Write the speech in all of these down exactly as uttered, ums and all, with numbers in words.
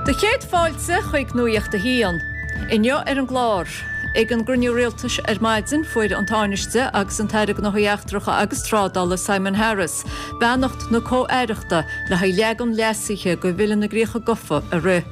Do chéad fáilte chuig Nuacht a hAon. Inniu ar an gclár. Ag an gcruinniú rialtais ar maidin fuair an Tánaiste agus an tAire Gnóthaí Eachtracha agus Trádála Simon Harris, beannacht na comh-aireachta le haghaidh leagan leasaithe de Bhille na gCríocha Gafa a rith.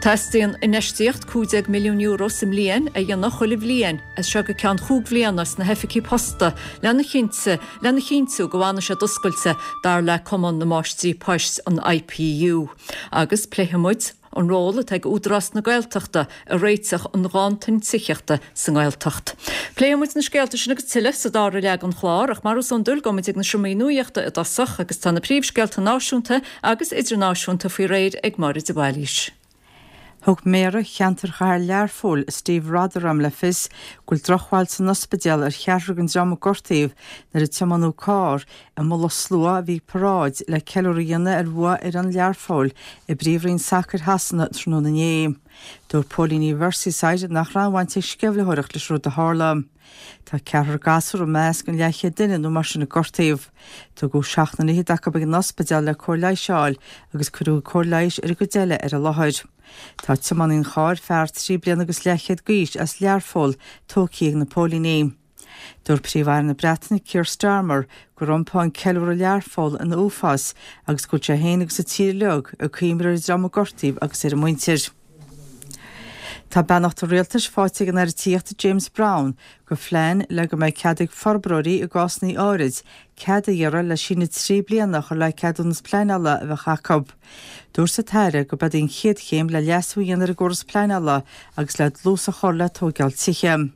Teastaíonn infheistíocht cúig déag milliún euro sa mbliain a dhéanamh chuile bhliain as seo go ceann chúig bhliana sna hoifigí posta lena chinnte lena chinntiú go bhfanfaidh siad oscailte dar le Cumann na Máistrí Poist an IPU. Agus pléifimid an ról atá ag Údarás na Gaeltachta i réiteach an ghanntan tithíochta sa nGaeltacht. Pléifimid na scéalta sin agus tuilleadh sa dara leath den chlár ach mar is iondúil gabhfaimid ag na seomraí nuachta i dtosach agus tá na príomhscéalta náisiúnta agus idirnáisiúnta faoi réir ag Máire de Bhailís. Thug Méara cheantar chathair Learpholl Steve Rotheram le fios go bhfuil drochbhail san ospidéal ar cheathrar den dream a gortaíodh nuair a tiomáineadh carr i mullach slua a bhí ag paráid le ceiliúradh a dhéanamh ar bhua fhoireann Learpholl i bpríomhroinn sacair Shasana tráthnóna inné. Dúirt póilíní Merseyside nach raibh aon bhaint ag sceimhlitheoireacht leis an rud a tharla. Tá ceathrar gasúr i measc an leathchéad duine nó mar sin a gortaíodh. Tugadh seacht nduine acu ag an ospidéal le cóir leighis a fháil agus cuireadh cóir leighis ar an gcuid eile ar an láthair. Tá tiománaí an chairr fear trí bliana agus leathchéad d'aois as Learpholl tógtha ag na póilíní. Dúirt Príomh-Aire na Breataine Keir Starmer gur iompaigh an ceiliúradh i Learpholl ina uafás agus go bhfuil sé féin agus an tír uilig ag cuimhneamh ar an dream a gortaíodh agus ar a muintir. Tá beannacht an rialtais faighte ag an Aire Tithíochta James Browne do phlean le go mbeidh cead ag forbróirí i gcásanna áirid cead a iarraidh le síneadh trí bliana a chur le ceadúnas pleanála a bheadh acu. Dúirt an tAire gurb é an chéad chéim le leasú a dhéanamh ar an gcóras pleanála agus le dlús a chur le tógáil tithe.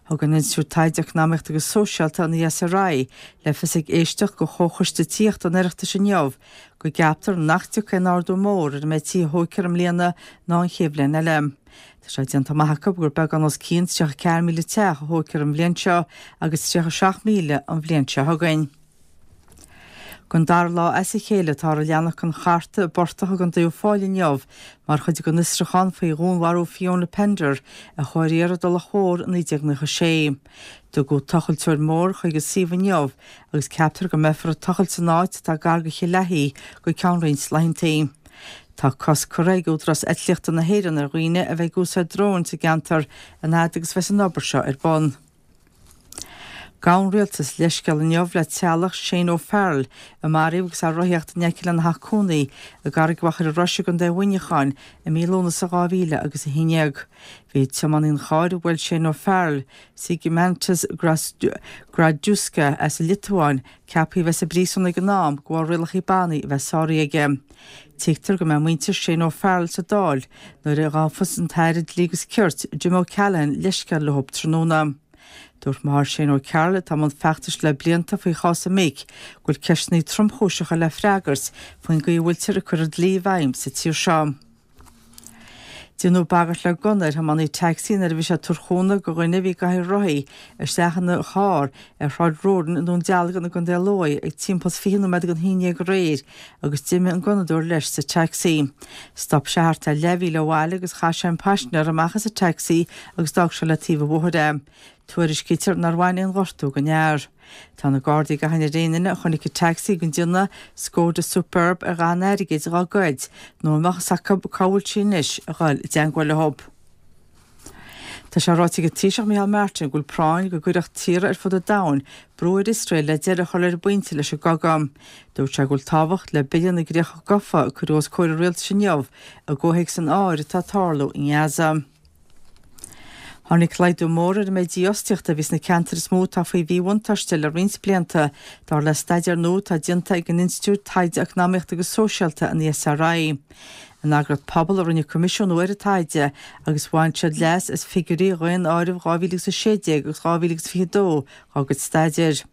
Thug an Institiúid Taighde Eacnamaíochta agus Sóisialta an ESRI le fios ag éisteacht do Chomhchoiste Tithíochta an Oireachtais inniu go gceaptar nach dtiocfaidh aon ardú mór ar an méid tithe a thógfar i mbliana ná an chéad bhliain eile. Tá sé déanta amach acu gur beagán os cionn tríocha ceathair míle teach a thógfar an bhliain seo agus tríocha seacht míle an bhliain seo chugainn. Don dara lá as a chéile táthar ag leanacht den chartadh i bportach i gContae Uíbh Fhailí inniu mar chuid den fhiosrúchán faoi dhúnmharú Fiona Pender a chuaigh ar iarraidh i dTulach Mhór i naoi déag nócha sé. Tugadh tochailteoir mór chuig an suíomh inniu agus ceaptar go mbeifear ag tochailt san áit atá gar do Chill Aithí go ceann roinnt laethanta. Tá cosc curtha ag Údarás Eitlíochta na hÉireann ar dhaoine a bheith ag úsáid dróin sa gceantar an fhad agus bheas an obair seo ar bun. Gabh an rialtas leithscéal inniu le teaghlach Shane O'Farrell a maraíodh agus é ag rothaíocht in aice lena theach cónaí i gCarraig Mhachaire Rois i gContae Mhuineacháin i mí Lúnasa dhá mhíle agus a haon déag. Bhí tiománaí an chairr a bhuail Shane O'Farrell, Zygimantas Girdauskas as an Liotuáin, ceaptha a bheith sa bpríosún ag an am de bharr rialacha bannaí a bheith sáraithe aige. Tuigtear go mbeidh muintir Shane O'Farrell sa Dáil nuair a ghabhfas an tAire Dlí agus Cirt Jim O'Callaghan leithscéal leo tráthnóna. Dúirt máthair Shane O'Carroll atá i mbun feachtais le blianta faoi chás a mic go bhfuil ceisteanna tromchúiseacha le freagairt faoin gcaoi a bhfuiltear ag cur an dlí i bhfeidhm sa tír seo. Déanadh bagairt le gunna ar thiománaí tacsaí nuair a bhí sé ag tabhairt cúnamh do dhuine a bhí i gcathaoir rothaí isteach ina charr ar Shráid Roden i nDún Dealgan i gContae Lú ag timpeall fiche nóiméad don haon déag aréir agus d'imigh an gunnadóir leis sa tacsaí. Stop sé thart ar leathmhíle ó bhaile agus chaith sé an paisinéir amach as an tacsaí agus d'fhág sé le taobh an bhóthair é. Tuairiscítear nár bhain aon ghortú don fhear. Tá na Gardaí ag achainí ar aon duine a chonaic an tacsaí den déanamh Skoda Superb ar dhath an airgid dhá ghoid nó a mbeadh fhios acu cá bhfuil sí anois a dhul i dteagmháil leo. Tá sé ráite ag an Taoiseach Micheál Martin go bhfuil práinn go gcuirfeadh tíortha ar fud an domhain brú ar Iosrael le deireadh a chur ar an bpointe leis an gcogadh. Dúirt sé go bhfuil tábhacht le Bille na gCríocha Gafa a cuireadh os comhair an rialtais inniu i gcomhthéacs an áir atá ag tarlú i nGaza. Tháinig laghdú mór ar an méid dífhostaíochta a bhí sna ceantair is mó atá faoi mhíbhuntáiste le roinnt blianta, dar le staidéar nua atá déanta ag an Institiúid Taighde Eacnamaíochta agus Sóisialta an ESRI. An eagraíocht Pobal a rinne coimisiúnú ar an taighde agus bhain siad leas as figiúirí dhaonáireamh dhá mhíle agus a sé déag agus dhá mhíle agus fiche dó dá gcuid staidéir.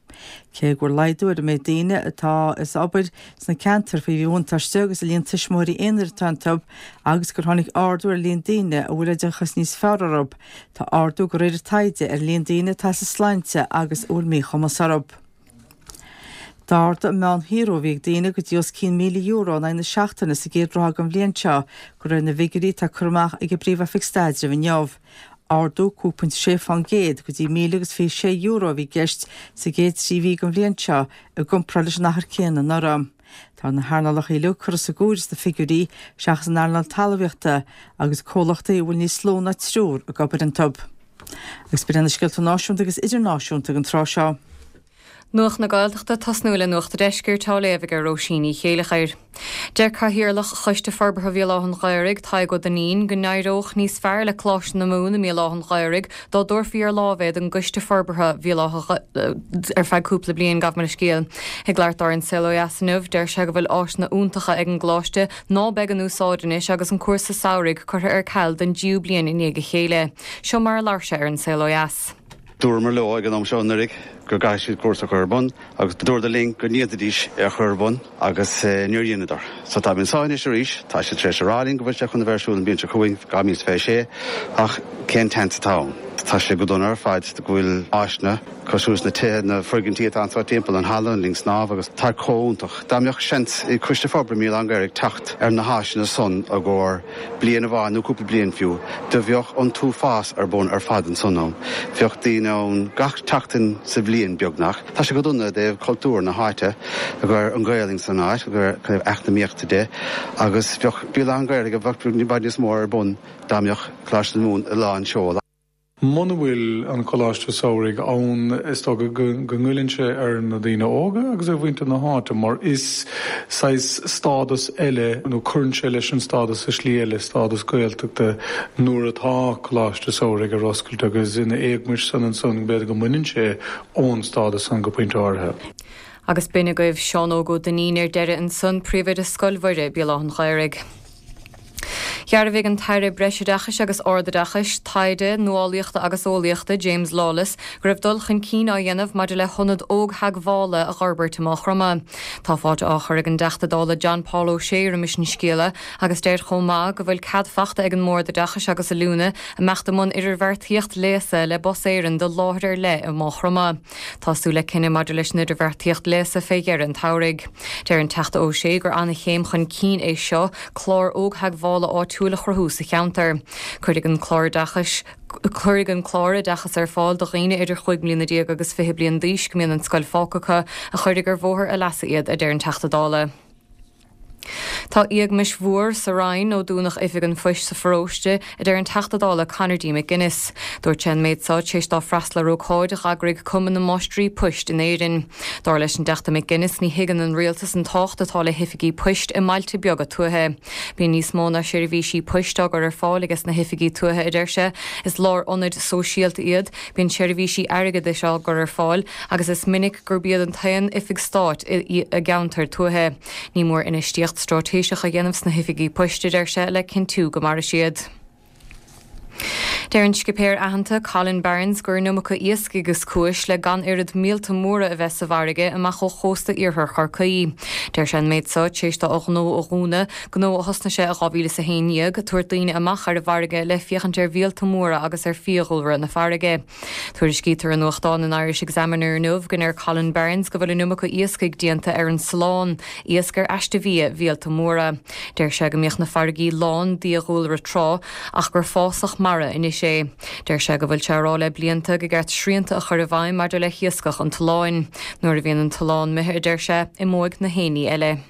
Cé go bhfuil laghdú ar an méid daoine atá as obair sna ceantair faoi mhíbhuntáiste agus an líon tuismitheoirí aonair atá iontu agus gur tháinig ardú ar líon daoine a bhfuil oideachas níos fearr orthu, tá ardú de réir an taighde ar líon daoine atá as a sláinte agus a bhfuil míchumas orthu. D'ardaigh an meánshaothrú a bhí ag daoine go dtí os cionn míle euro in aghaidh na seachtaine sa gcéad ráithe den bhliain seo, de réir na bhfigiúirí atá curtha amach ag an bPríomh-Oifig Staidrimh inniu. Ardú cúig pointe sé fán gcéad go dtí míle agus fiche sé euro a bhí i gceist sa gcéad trí mhí den bhliain seo i gcomparáid leis an achar céanna anuraidh. Tá na hearnálacha uilig curtha sa gcomhaireamh sna figiúirí seachas an earnáil talmhaíochta agus comhlachtaí a bhfuil níos lú ná triúr ag obair iontu. Agus b'in na scéalta náisiúnta agus idirnáisiúnta ag an tráth seo. Nuacht na Gaeltachta tosnú le Nuacht an Deiscirt á léamh ag Róisín Ní Chéilleachair. Deir Cathaoirleach Choiste Forbartha Bhéal Átha an Ghaorthaidh Tadhg Ó Duinnín go n-éireodh níos fearr le Coláiste na Mumhan i mBéal Átha an Ghaorthaidh dá dtabharfaí ar láimh é don gCoiste Forbartha Bhéal Átha ar feadh cúpla bliain gabh mo leithscéal. Ag labhairt dó ar An Saol Ó Dheas inniu, deir sé go bhfuil áiseanna iontacha ag an gcoláiste ná beidh in úsáid anois agus an cúrsa samhraidh curtha ar ceal don dtríú bliain i ndiaidh a chéile. Seo mar a labhair sé ar An Saol Ó Dheas. Dúramar leo ag an am seo anuraidh go gcaithfidh siad cúrsa a chur ar bun agus dúradar linn go ndéanfaidís é a chur ar bun agus níor dheineadar. So tá mé anseo anois arís, tá siad tar éis a rá linn go bhfuil sé chun a bheith ar siúl an bhliain seo chugainn dhá mhíle is fiche sé ach cén tseans atá ann? Tá sé go dona ar fad go bhfuil áiseanna cosúil leis na tithe na foirgintí atá anseo timpeall an halla an linn snámha agus tá chomh hiontach. Dá mbeadh seans ag Coiste Forbartha Bhéal Átha an Ghaorthaidh teacht ar na háiseanna san i gcomhair bliain amháin nó cúpla bliain fiú, do bheadh an t-uafás ar bun ar fad ansan ann. Bheadh daoine ann gach tseachtain sa bhliain beagnach. Tá sé go dona i dtaobh cultúr na háite a gcur an Ghaelainn san áit, a gcur eacnamaíochta de, agus bheadh Béal Átha an Ghaorthaidh a bheadh i bhfad níos mó ar bun dá mbeadh Coláiste na Mumhan i lán seol. Muna bhfuil an Coláiste Samhraidh ann is dócha go ngoilleann sé ar na daoine óga agus ar mhuintir na háite mar is saghas stádas eile nó cuireann sé leis an stádas i slí eile stádas Gaeltachta nuair atá Coláiste Samhraidh ar oscailt agus ina éagmais san ansan b'fhéidir go mbaineann sé ón stádas san go pointe áirithe. Agus b'in agaibh Seán Óg Ó Duinnín ar deireadh ansan príomhoide Scoil Mhuire Béal Átha an Ghaorthaidh. Dhearbhaigh an tAire Breisoideachais agus Ardoideachais, Taighde, Nuálaíochta agus Eolaíochta James Lawless go raibh dul chun cinn á dhéanamh maidir le hionad ógtheagmhála a fhorbairt i Maigh Chromtha. Tá fáilte á chur ag an dTeachta Dála John Paul O'Shea roimis an scéala agus deir chomh maith go bhfuil cead faighte ag an mBord Oideachais agus Oiliúna a mbeadh i mbun idirbheartaíocht léasa le Bus Éireann do láthair ar leith i Maigh Chromtha. Tá súil le cinneadh maidir leis an idirbheartaíocht léasa fé dheireadh an tsamhraidh. Deir an Teachta O'Shea gur an-chéim chun cinn é seo clár ógtheagmhála áitiúil a chruthú sa cheantar. Cuirfidh an clár oideachais Cuirfidh an clár oideachas ar fáil do dhaoine idir chúig mbliana déag agus fiche bliain d'aois go mbíonn an scoil fágtha acu a chuirfidh ar bhóthar a leasa iad a deir an Teachta Dála. Tá éagmais mhór sa Roinn ó dúnadh oifig an phoist sa pharóiste a deir an Teachta Dála Conor D. McGuinness. Dúirt sé an méid seo tar éis dó freastal ar ócáid a d'eagraigh Cumann na Máistrí Poist in Éirinn. Dar leis an dTeachta McGuinness ní thuigeann an rialtas an tábhacht atá le hoifigí poist i mbailte beaga tuaithe. Bíonn níos mó ná seirbhísí poist á gcur ar fáil aige sna hoifigí tuaithe a deir sé, is lárionaid sóisialta iad, bíonn seirbhísí airgeadais á gcur ar fáil agus is minic gurb iad an t-aon oifig stáit i gceantar tuaithe. Ní mór infheistíocht straitéiseach a dhéanamh sna hoifigí poist a deir sé le cinntiú go mairfidh siad. Deir an scipéir aitheanta Colin Barnes gur an iomarca iascaigh is cúis le gan oiread míolta móra a bheith sa bhfarraige amach ó chósta iarthar Chorcaí. Deir sé an méid seo tar éis dó a ghnó a dhúnadh, gnó a thosnaigh sé i dhá mhíle is a haon déag, tabhairt daoine amach ar an bhfarraige le féachaint ar mhíolta móra agus ar fiadhúlra na farraige. Tuairiscítear i nuachtán an Irish Examiner inniu go ndeir Colin Barnes go bhfuil an iomarca iascaigh déanta ar an Sulán, iasc ar aiste bhia mhíolta móra. Deir sé go mbíodh na farraigí lán d'fhiadhúlra tráth ach gur fásach mara anois é. Deir sé go bhfuil sé á rá le blianta gur cheart srianta a chur i bhfeidhm maidir le hiascach an tsulláin. Nuair a bhíonn an tSullán imithe a deir sé, imeoidh na héinní eile.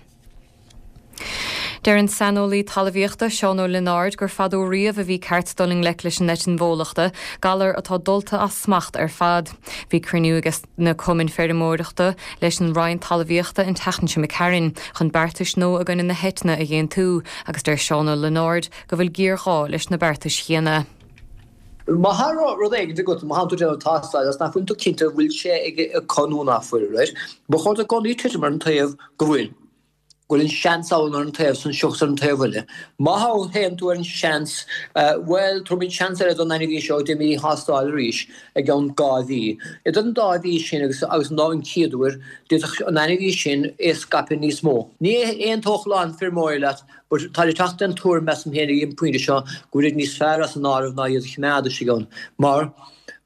Deir an saineolaí talmhaíochta Seán Ó Lionáird gur fadó riamh a bhí ceart dul i ngleic leis an eitinn bhólachta, galar atá dulta as smacht ar fad. Bhí cruinniú ag na cumainn feirmeoireachta leis an Roinn Talmhaíochta an tseachtain seo chuaigh tharainn chun beartais nua i gcoinne na heitinne a dh'aontú, agus deir Seán Ó Lionáird go bhfuil géarghá leis na beartais chéanna. Má tá rud éigin agat má tá tú déanamh tástáil agus nach bhfuil tú cinnte an bhfuil sé acu nó nach bhfuil, right? Ba chóir duit i gcónaí titim ar an taobh go bhfuil. Go bhfuil an seans ann ar an taobh san seachas ar an taobh eile. Má théann tú ar an seans, bhuel, tabharfaimid seans eile don ainmhí seo déanfaimid thástáil arís i gceann dhá mhí. Idir an dá mhí sin agus agus an lá an chéad uair, d'fhéadfadh an ainmhí sin é scaipeadh níos mó. Ní aontódh a lán feirmeoirí leat, but tá ag teacht den tuairim measaim féin ag an bpointe seo go bhfuil níos fearr as an áireamh ná iad a choimeád istigh ann. Mar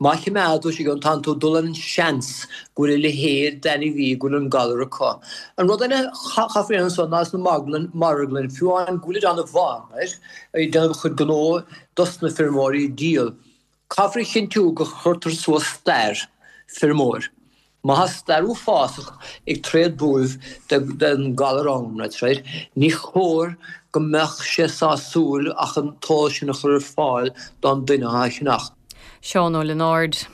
má choimeád tú istigh ann tánn tú ag dul ar an seans go bhfuil a leithéid d'ainmhí go bhfuil an galar acu. An rud eile chaithfear a dhéanamh ansan ná sna marglann marglann fiú amháin go bhfuil ag déanamh mhaith, right? Ag déanamh a chuid gnó dos na feirmeoirí ag díol. Caithfear a chinntiú go chuirtear suas stair feirmeoir. Má tá stair uafásach ag tréad buaibh den galar ann, right, ní chóir go mbeadh sé sásúil ach an t-eolas sin a chur ar fáil don duine á cheannach. Seán Ó Lionáird.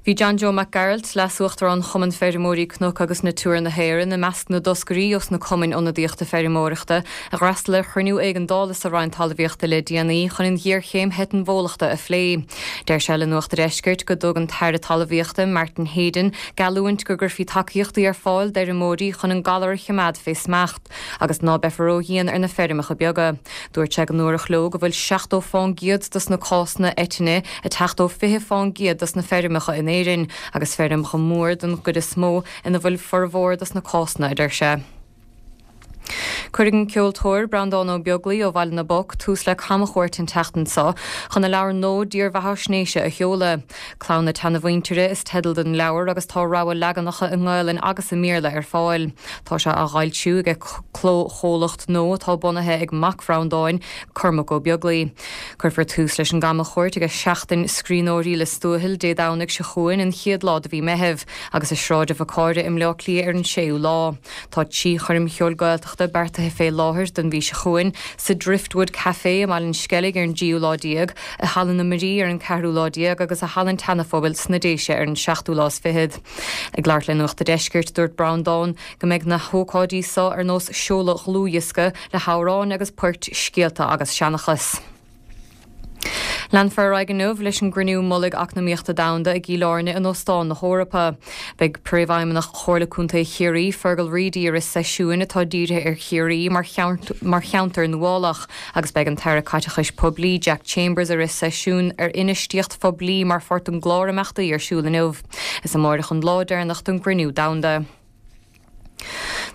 Bhí John Joe Mac Gearailt, Leas-Uachtarán Chumann Feirmeoirí Cnoc agus Natura na hÉireann, i measc na dtoscairí os na cumainn ionadaíochta feirmeoireachta a d'fhreastail ar chruinniú éigeandála sa Roinn Talmhaíochta le déanaí chun an ghéarchéim eitinn bhólachta a phlé. Deir sé le Nuacht an Deiscirt go dtug an tAire Talmhaíochta Martin Heydon geallúint go gcuirfí tacaíochtaí ar fáil d'fheirmeoirí chun an galar a choimeád fé smacht agus ná beifear ródhian ar na feirmeacha beaga. Dúirt sé go ndúradh leo go bhfuil seachtó fán gcéad dos na cásanna eitinne ag teacht ó fiche fán gcéad dos na feirmeacha in Éirinn agus feirmeacha mór den gcuid is mó ina bhfuil formhór dos na cásanna, a deir sé. Cuirfidh an ceoltóir Breandán Ó Beaglaoi ó Bhaile na bPoc tús le camchuairt an tseachtain seo chun a leabhar nua dírbheathaisnéise a sheoladh. Clann na tSeanamhuintire is teideal don leabhar agus tá rogha leaganacha i nGaelainn agus i mBéarla ar fáil. Tá sé á fhoilsiú ag clóchomhlacht nua atá bunaithe ag mac Bhreandáin, Cormac Ó Beaglaoi. Cuirfear tús leis an gcamchuairt ag Seachtain Scríbhneoirí Lios Tuathail Dé Domhnaigh seo chugainn, an chéad lá de mhí Meitheamh, agus i Sráid an Bhacáire i mBleá Cliath ar an séú lá. Tá trí choirm cheoil Gaeltachta beartaithe fé láthair don mhí seo chugainn, sa Driftwood Café i mBaile an Sceilg ar an dtríú lá déag, i Halla na Muirí ar an ceathrú lá déag agus i Halla an tSeanaphobail sna Déise ar an seachtú lá is fichead. Ag labhairt le Nuacht an Deiscirt, dúirt Breandán go mbeidh na hócáidí seo ar nós seoladh dhlúthdhiosca le hamhráin agus poirt, scéalta agus seanchas. Leanfar ar aghaidh inniu leis an gCruinniú Mullaigh Eacnamaíochta Domhanda i gCill Airne in Óstán na hEorpa. Beidh Príomhfheidhmeannach Chomhairle Contae Chiarraí, Fergal Reidy, ag rith seisiúin atá dírithe ar Chiarraí mar cheantar nuálach agus beidh an tAire Caiteachais Poiblí, Jack Chambers, ag rith seisiún ar infheistíocht phoiblí mar pháirt den gclár imeachtaí ar siúl inniu. Is amárach an lá deireanach don gcruinniú domhanda.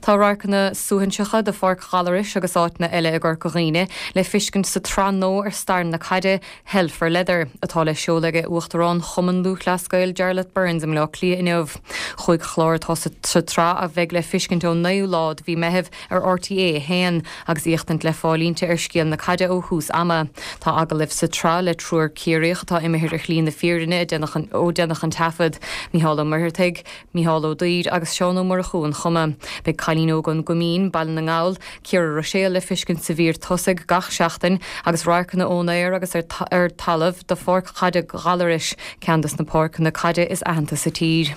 Tá radharcanna suaithinseacha de Pháirc Ghallarais agus áiteanna eile i gCorca Dhuibhne le feiscint sa tsraith nua ar stair na caide, Hell for Leather, atá le seoladh ag Uachtarán Chumann Lúthchleas Gael Jarlath Burns i mBleá Cliath inniu. Cúig chlár atá sa tsraith a bheidh le feiscint ón naoú lá de mhí Meitheamh ar RTÉ a haon agus éachtaint le fáil inti ar scéal na caide ó thús ama. Tá agallaimh sa tsraith le triúr Ciarraíoch atá imithe ar shlí na fírinne ó deineadh an taifead, Mícheál Ó Muircheartaigh, Mícheál Ó Duibhir agus Seán Ó Murchú an Choma. Beidh cailín óg ón gCoimín, Baile na nGall, Ciara Ruiséal le feiscint sa mhír tosaigh gach seachtain agus radharcanna ón aer agus ar talamh de Pháirc Chaide Ghallarais, ceann de na páirceanna caide is aitheanta sa tír.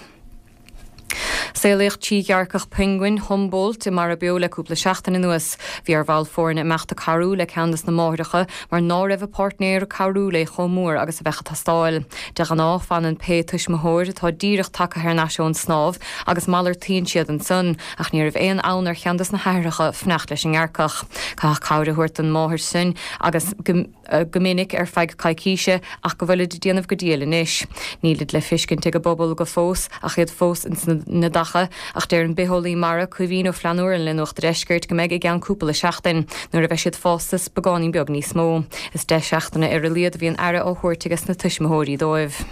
Saolaíodh trí ghearrcach piongain Humboldt i Mara Beo le cúpla seachtain anuas. Bhí ar bhall foirne imeacht ag cabhrú le ceann de na máithreacha mar ná raibh a páirtnéir ag cabhrú léi chomh mór agus a bheadh ag teastáil. De ghnáth, fanann pé tuismitheoir atá díreach tagtha thar n-ais ón snámh agus malartaíonn siad ansan, ach ní raibh aon fhonn ar cheann de na haithreacha fanacht leis an ngearrcach. Caitheadh cabhair a thabhairt don mháthair sin agus go go minic ar feadh coicíse ach go bhfuilid ag déanamh go diail anois. Nílid le feiscint ag an bpobal go fós ach iad fós ins na neadacha, ach deir an bitheolaí mara Caoimhín Ó Flannúra le Nuacht an Deiscirt go mbeidh i gceann cúpla seachtain, nuair a bheidh siad fásta is beagáinín beag níos mó. Is deich seachtaine ar a laghad a bhíonn aire á thabhairt aige sna tuismitheoirí dóibh.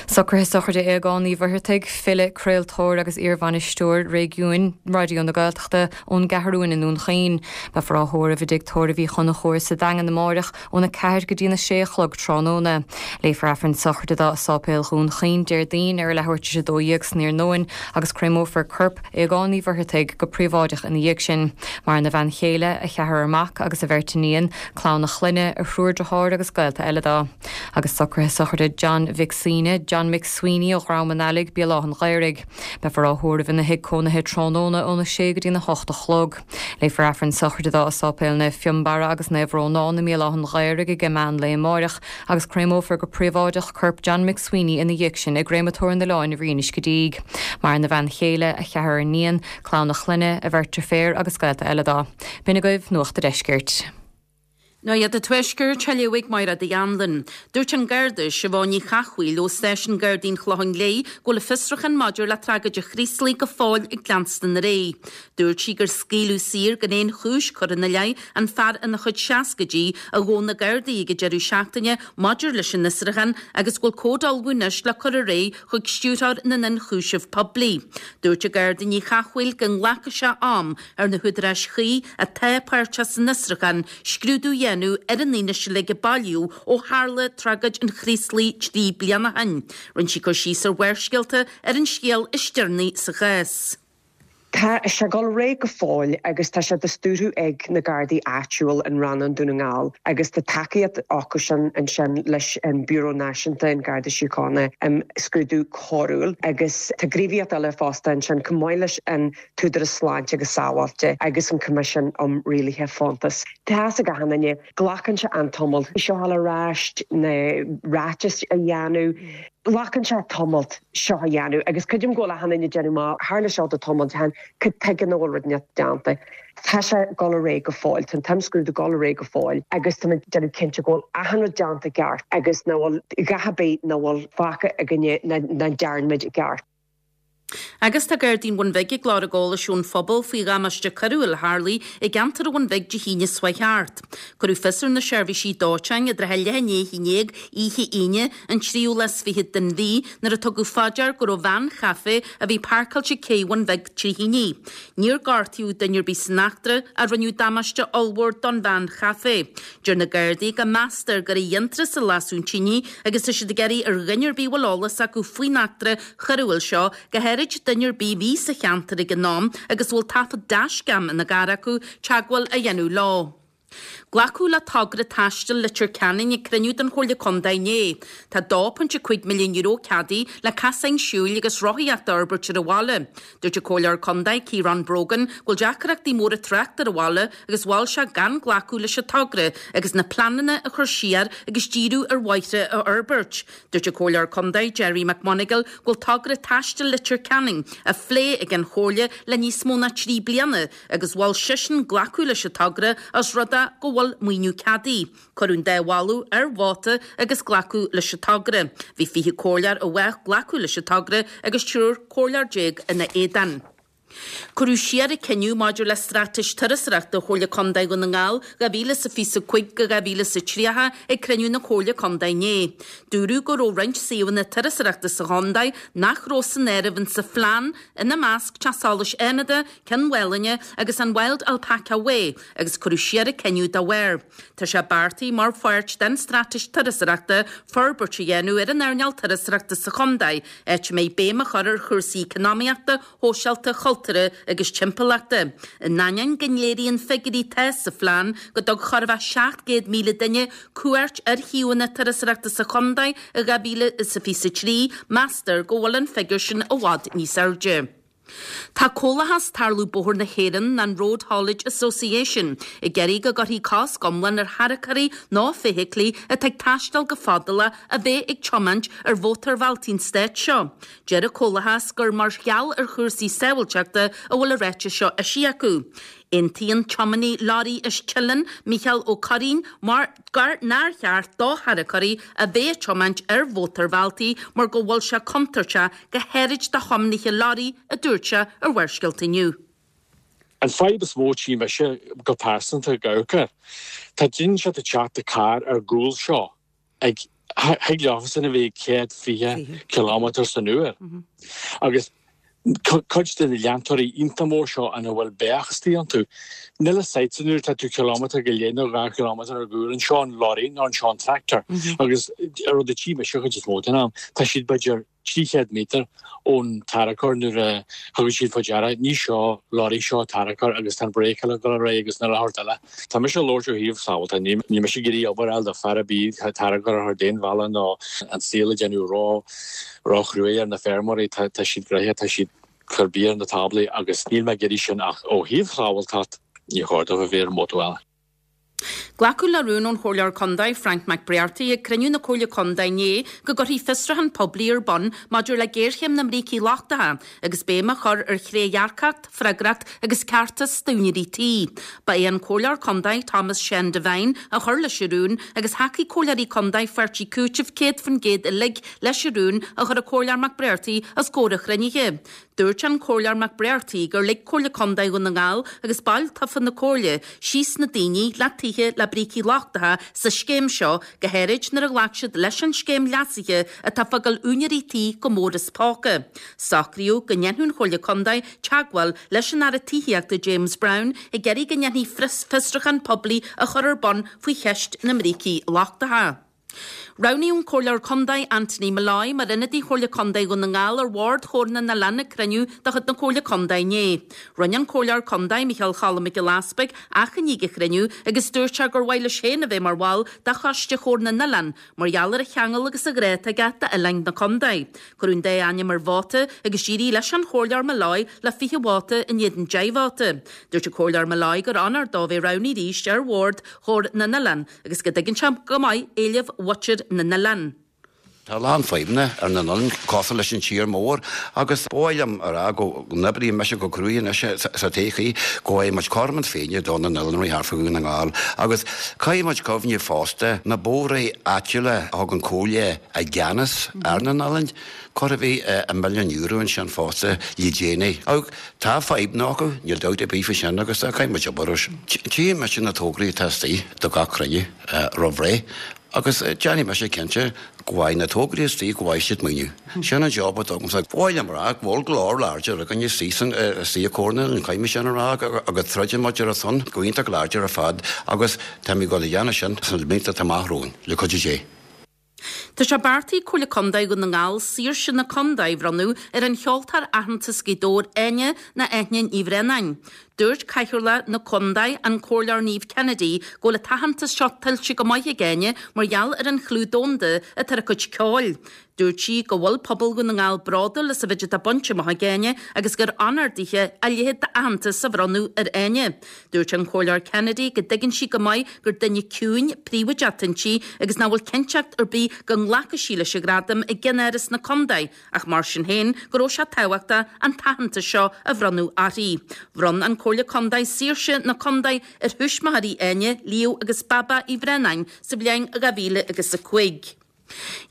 Socruithe sochraide Aogáin Uí Mhuircheartaigh, file, craoltóir agus iarbhainisteoir réigiúin Raidió na Gaeltachta ón gCeathrúin i nDún Chaoin. Beifear á thórramh i dTigh Tórraimh Uí Chonchúir sa Daingean amáireach óna ceathair go dtína sé a chlog tráthnóna. Léifear Aifreann sochraide dó i Sáipéal Dhún Chaoin Déardaoin ar a leathuair tar éis a dó dhéag san iarnóin agus créamófar corp Aogáin Uí Mhuircheartaigh go príobháideach ina dhiaidh sin. Maireann a bhean chéile, a cheathrar mac agus a bheirt iníon, clann a chlainne, a thriúr deartháir agus gaolta eile dó. Agus socruithe sochraide John Mhic Suibhne, John McSweeney ó Dhrom an Ailigh, Béal Átha an Ghaorthaidh. Beifear á thórramh ina thigh cónaithe tráthnóna óna sé go dtína hocht a chlog. Léifear Aifreann sochraide dó i Sáipéal Naomh Fionnbarra agus Naomh Rónán i mBéal Átha an Ghaorthaidh ag meán lae amáireach agus créamófar go príobháideach corp John McSweeney ina dhiaidh sin i gCréamatóir an Oileáin i Rinn Uisce Díg. Maireann a bhean chéile, a cheathrar iníon, clann a chlainne, a bheirt deirféar agus gaolta eile dó. B'in agaibh Nuacht an Deiscirt. Nuacht an Tuaiscirt á léamh ag Máire Uí Anluain. Dúirt an Garda Siobhán Ní Chathmhaoil ó Stáisiún Gardaí an Chlocháin Léith go bhfuil fiosrúchán maidir le tragóid an Chraoslaigh go fóill ag leanstan ar aghaidh. Dúirt sí gur scaoileadh saor gan aon chúis curtha ina leith an fear ina chuid seascaidí a ghabh na Gardaí ag an deireadh seachtaine maidir leis an fhiosrúchán agus go bhfuil comhad ullamh anois le cur ar aghaidh chuig Stiúrthóir na nIonchúiseamh Poiblí. Dúirt an Garda Ní Chathmhaoil go nglacfaidh sé am ar na húdaráis chuí atá páirteach san fhiosrúchán scrúdú a dhéanamh dhéanamh ar an fhianaise uilig a bailíodh ó tharla tragóid an Chraoslaigh trí bliana ó shin. Rinne sí cur síos ar Bharrscéalta ar an scéal is deireanaí sa chás. Tá sé ag dul ar aghaidh go fóill agus tá sé á stiúradh ag na Gardaí áitiúil in Rannán Dún na nGall agus tá tacaíocht acu sin ansin leis an Bureau Náisiúnta an Garda Síochána um scrúdú coiriúil agus tá gníomhaíocht eile fosta ansin chomh maith leis an tÚdarás Sláinte agus Sábháilteachta agus an Coimisiún um Rialuithe Fóntas. Tá a gahanine glacann sé an tamall seo ar ais na ráitis a dhéanamh. Glacann sé tamall seo a dhéanamh agus creidim go bhfuil achan duine déanamh má tharla seo do tamall han cad tuige nach bhfuil rud déanta. Tá sé ag dul ar aghaidh go fóill, an t-imscrúdú ag dul ar aghaidh go fóill agus tá déanamh cinnte go bhfuil achan rud déanta ceart agus nach bhfuil a dhath ar bith nach bhfuil fágtha againne nach ndearna muid ceart. Agus tá Gardaí an Bhun Bhig ag lorg eolais ón phobal faoi dhamáiste coiriúil a tharla i gceantar an Bhun Bhig Dé hAoine seo thart. Cuireadh fios ar na seirbhísí dóiteáin i dtrátha a leath i ndiaidh a haon déag oíche Aoine an tríú lá is fiche den mhí nuair a tugadh faoi deara go raibh veain chaife a bhí páirceáilte ag cé Bhun Bhig trí thine. Níor gortaíodh duine ar bith san eachtra ach rinneadh damáiste ollmhór don veain chaife. Deir na Gardaí go meastar gur i dtintreas a lasadh an tine agus tá siad ag iarraidh ar dhuine ar bith a bhfuil eolas acu faoin eachtra choiriúil seo go háirid duine ar bith a bhí sa cheantar ag an am agus bhfuil taifead dashcam ina gcarr acu teagmháil a dhéanamh leo. Glacadh le togra taistil Leitir Ceanainn ag cruinniú den Chomhairle Contae inné. Tá dó pointe cúig milliún euro ceadaithe le casáin siúil agus rothaíocht a fhorbairt ar an bhaile. Dúirt an Comhairleoir Contae Ciarán Brogan go bhfuil deacrachtaí móra tráchta ar an bhaile agus mhol sé gan glacadh leis an togra agus na pleananna a chur siar agus díriú ar bhóithre a fhorbairt. Dúirt an Comhairleoir Contae Jerry McMonagall go bhfuil togra taistil Leitir Ceanainn á phlé ag an Chomhairle le níos mó ná trí bliana agus mhol seisean glacadh leis an togra ós rud é go bhfuil maoiniú ceadaithe. Cuireadh an dá mholadh ar vóta agus glacadh leis an togra. Bhí fiche comhairleoir i bhfách glacadh leis an togra agus triúr comhairleoir déag ina éadan. Cuireadh siar an cinneadh maidir le straitéis turasóireachta Chomhairle Contae Dhún na nGall dhá mhíle is a fiche a cúig go dhá mhíle is a tríocha ag cruinniú na Comhairle Contae inné. Dúradh go raibh roinnt suíomhanna turasóireachta sa chontae nach raibh san áireamh insa phlean ina measc Teach Solais Fhánada, Cionn Mhálanna agus an Wild Alpaca Way agus cuireadh siar an cinneadh dá bharr. Tá sé beartaithe mar pháirt den straitéis turasóireachta forbairt a dhéanamh ar an earnáil turasóireachta sa chontae, áit a mbeidh béim á chur ar chúrsaí eacnamaíochta, shóisialta, chultúrtha agus timpeallachta. In ainneoin go léiríonn figiúirí atá sa phlean go dtug chóir a bheith seacht gcéad míle duine cuairt ar shuíomhanna turasóireachta sa chontae i dhá mhíle is a fiche a trí, meastar go bhfuil an figiúr sin i bhfad níos airde. Tá Comhlachas Tarlú Bóthair na hÉireann an Road Haulage Association ag iarraidh go gcuirfí cosc iomlán ar tharracóirí nó feithiclí atá ag taisteal go fadálach a bheith ag tiomáint ar mhótarbhealtaí an stáit seo. Deir an Comhlachas gur mar gheall ar chúrsaí sábháilteachta a bhfuil an ráiteas seo eisithe acu. Aontaíonn tiománaí leoraí as Teileann, Micheál Ó Curraoin, mar gur nár cheart do tharracóirí a bheith ag tiomáint ar mhótarbhealtaí mar go bhfuil sé contúirteach go háirid do thiománaithe leoraí, a dúirt sé ar Bharrscéalta inniu. An fadhb is mó tí mise go pearsanta ag amharc air. Tá daoine seo ag teacht i carr ar gcúl seo ag thig leofasan a bheith céad fiche kilometre san uair. Agus cuid de na leantóirí iontach mór seo ina bhfuil beach istigh iontu, níl a fhios agat nuair atá tú kilometre go leith nó dhá kilometre ar gcúl anseo an lorry nó anseo an tractor. Agus an rud a tchí mise chuid is mó den am, tá siad b'fhéidir trí chéad méadar ón tarracóir nuair a thugann siad faoi deara, ní seo lorry seo tarracóir agus tá an bréiceáil ag dul ar aghaidh agus na leathuair eile. Tá mise ag labhairt ó thaobh sábháilte, níl mise ag iarraidh obair a fháil do fear ar bith tarracóir a chur d'aon bhealach nó an saol a dhéanamh ró róchruaidh ar na feirmeoirí, tá tá siad gnoitheach, tá siad ag cur bia ar na táblaí agus níl mé ag iarraidh sin ach ó thaobh sábháilteacht ní chóir dóibh a bheith ar an mótarbhealach. Glacadh le rún ón Chomhairleoir Contae Frank McBrearty ag cruinniú na Comhairle Contae inné go gcuirfí fiosrúchán poiblí ar bun maidir le géarchéim na mbrící lochtacha agus béim á chur ar thrédhearcacht, freagracht agus ceartas d'úinéirí tí. Ba é an Comhairleoir Contae Thomas Sean Devine a chuir leis an rún agus thacaigh comhairleoirí contae pháirtí Cúitimh céad faoin gcéad uilig leis an rún a chuir an Comhairleoir McBrearty os comhair an chruinnithe. Dúirt an Comhairleoir Mac Breartaigh gur lig Comhairle Contae Dhún na nGall agus baill tofa na Comhairle síos na daoine le tithe le brící lochtacha sa scéim seo, go háirid nuair a ghlac siad leis an scéim leasaithe atá ag fágáil úinéirí tí go mór as póca. Socraíodh go ndéanfadh an Chomhairle Contae teagmháil leis an Aire Tithíochta James Browne ag iarraidh go ndéanfaí fiosrúchán poiblí a chur ar bun faoi cheist na mbrící lochtacha. Roghnaíodh an Comhairleoir Contae Anthony Molloy mar ionadaí Chomhairle Contae Dhún na nGall ar Bhord Chomhar na nOileán ag cruinniú de chuid na Comhairle Contae inné. Rinne an Comhairleoir Contae Micheál Cholm Mac Giolla Easpaig achainí ag an chruinniú agus dúirt sé gur mhaith leis féin a bheith mar bhall de Choiste Chomhar na nOileán mar gheall ar a cheangal agus a ghrá atá aige d'oileáin na contae. Cuireadh an dá ainm ar vóta agus d'éirigh leis an Chomhairleoir Molloy le fiche vóta in éadan deich vóta. Dúirt an Comhairleoir Molloy gur onóir dó bheith roghnaithe arís ar Bhord Chomhar na nOileán agus go dtuigeann sé go maith éilimh mhuintir na n-oileán. Tá a lán fadhbanna ar na n-oileáin cosúil leis an tír mór agus ba mhaith liom a rá go n-oibreoidh mise go cruaidh anois sa todhchaí go bhfaighidh muid cothrom na Féinne do na n-oileánraí thart fá Dhún na nGall agus caithfidh muid cuimhneamh fosta na bóithre áitiúla a thug an Comhairle i gceannas ar na n-oileáin chóir a bheith i milliún euro ansin fosta le déanaí. Ach tá fadhbanna acu, níl dabht ar bith faoi sin agus caithfidh muid obair air sin. Tchífidh mise na tograí atá istigh do gach cruinniú roimh ré agus déanfaidh mise cinnte go bhfaighidh na tograí istigh go bhfaighidh siad maoiniú. Sin an job atá agamsa. Ba mhaith liom a rá go bhfuil glór láidir againn istigh san istigh i Comhar na n-Oileán, caithfidh mé sin a rá agus troideann muid ar a son go iontach láidir ar fad agus táimid ag dul a dhéanamh sin sna blianta atá amach romhainn, le cuidiú Dé. Tá sé beartaithe ag Comhairle Contae Dhún na nGall Saoirse na Contae a bhronnadh ar an cheoltóir aitheanta as Gaoth Dobhair Áine nó Eithne Ní Bhraonáin. Dúirt Cathaoirleach na Contae, an Comhairleoir Niamh Kennedy, go bhfuil an t-aitheantas seo tuillte go maith ag Áine mar gheall ar an chlú domhanda atá ar a cuid ceoil. Dúirt sí go bhfuil pobal Dhún na nGall bródúil as an mhéid atá bainte amach ag Áine agus gur onóir dithe a leithéid d'aitheantas a bhronnadh ar Áine. Dúirt an Comhairleoir Kennedy go dtuigeann sí go maith gur duine ciúin, príobháideach inti agus nach bhfuil cinnteacht ar bith go nglacfaidh sí leis an ghradam i gceannáras na contae ach mar sin féin go raibh sé tábhachtach an t-aitheantas seo a bhronnadh uirthi. Bhronn an Comhairle Contae Saoirse na Contae ar thuismitheoirí Áine, Leo agus Baba Uí Bhraonáin sa bhliain dhá mhíle agus a cúig.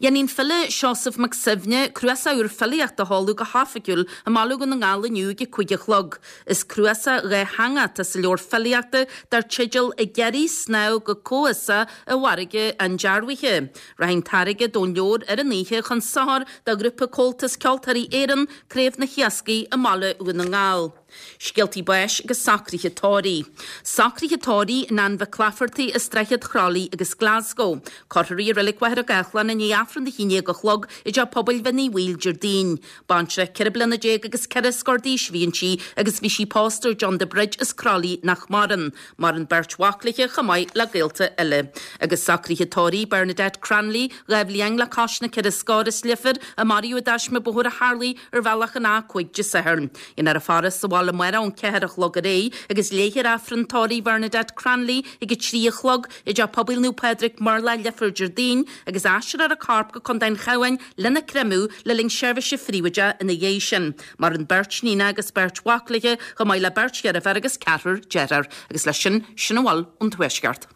Dhéanfaidh an file Seosamh Mac Suibhne cnuasach úr filíochta a sheoladh go hoifigiúil i mBaile Dhún na nGall inniu ag a cúig a chlog. Is cnuasach dhátheangach atá sa leabhar filíochta dar teideal Ag Iarraidh Snámh go Comhfhiosach i bhFarraige an Dearbhaithe. Rachaidh an t-airgead ón leabhar ar an oíche chun sochair do ghrúpa Comhaltas Ceoltóirí Éireann, Craobh na hIascaigh i mBaile Dhún na nGall. Scéaltaí báis agus socruithe tórraimh. Socruithe tórraimh Nan Mhic Laifeartaigh as Droichead Chroithlí agus Glasgow. Cuirfear í i Reilig Mhachaire Gathlán i ndiaidh Aifreann a haon déag a chlog i dTeach Pobail Bhinn Uí Bhaoill Déardaoin. Baintreach ceithre bliana déag agus ceithre scór d'aois a bhí inti agus bhí sí pósta ar John de Brid as Croithlí nach maireann. Maireann beirt mhac léi chomh maith le gaolta eile. Agus socruithe tórraimh Bernadette Cranley, dhá bhliain le cois na ceithre scór as Leifear, a maraíodh i dtaisme bóthair a tharlaigh ar bhealach an A cúig Dé Sathairn. Déanfar a faire sa bhaile amárach ón ceathair a chlog ar aghaidh agus léifear Aifreann tórraimh Bhernadette Cranley ag a trí a chlog i dTeach Pobail Naomh Pádraig, Murlach, Leifear Déardaoin agus aistreofar a corp go Contae an Chabháin lena créamadh le linn seirbhíse phríobháideach ina dhiaidh sin. Maireann beirt níon agus beirt mhac léi chomh maith le beirt dheirféar agus ceathrar dearthár. Agus leis sin, sin a bhfuil ón Tuaisceart.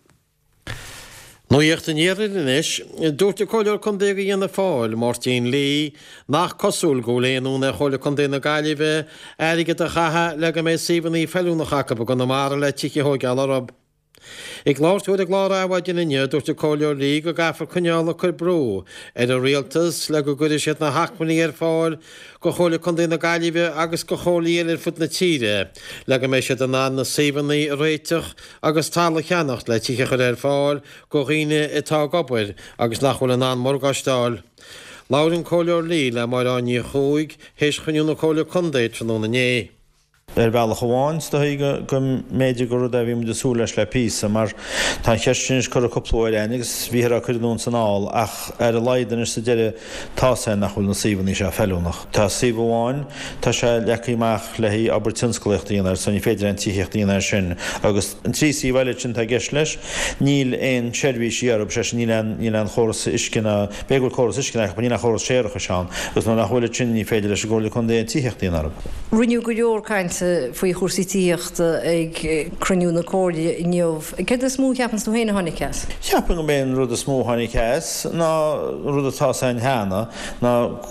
Nuacht an Iarthair anois. Dúirt an Comhairleoir Contae do Fhianna Fáil, Máirtín Lee, nach cosúil go bhfuil aon fhonn ar Chomhairle Contae na Gaillimhe airgead a chaitheamh le go mbeidh suíomhanna feiliúnacha acu i gConamara le tithe a thóigeáil orthu. Ag labhairt dó ar an gclár Adhmhaidin inniu, dúirt an Comhairleoir Lee go gcaithfear coinneáil ag cur brú ar an Rialtas le go gcuirfidh siad na hacmhainní ar fáil do Chomhairle Contae na Gaillimhe agus do chomhairlí eile ar fud na tíre le go mbeidh siad in ann na suíomhanna a réiteach agus talamh a cheannacht le tithe a chur ar fáil do dhaoine atá ag obair agus nach bhfuil in ann morgáiste a fháil. Labhair an Comhairleoir Lee le Máire Áine Ní Chuaig théis chruinniú na Comhairle Contae tráthnóna inné. Ar bhealach amháin, is dóigh go mb'fhéidir gur rud é a bhí muid ag súil leis le píosa, mar tá an cheist sin anois curtha cúpla uair againn agus bhíothar á cur anonn is anall, ach ar a laghad anois sa deireadh tá's againn nach bhfuil na suíomhanna seo feiliúnach. Tá suíomh amháin, tá sé leagtha amach le haghaidh obair tionsclaíochta a dhéanamh air so ní féidir aon tithíocht a dhéanamh air sin agus an trí suíomh eile sin atá i gceist leis, níl aon seirbhísí orthu, sé sin níl aon, níl aon chóras uisce ná, b'fhéidir go bhfuil córas uisce acu, níl aon chóras séarachais ann agus nuair nach bhfuil ansin ní féidir leis an gComhairle Contae aon tithíocht a dhéanamh orthu. Rinneadh go leor cainte faoi chúrsaí tithíochta ag cruinniú na Comhairle inniu. Céard is mó a cheapann tú féin a tháinig as? Cheapfainn gurb é an rud is mó a tháinig as ná rud atá 's againn cheana, ná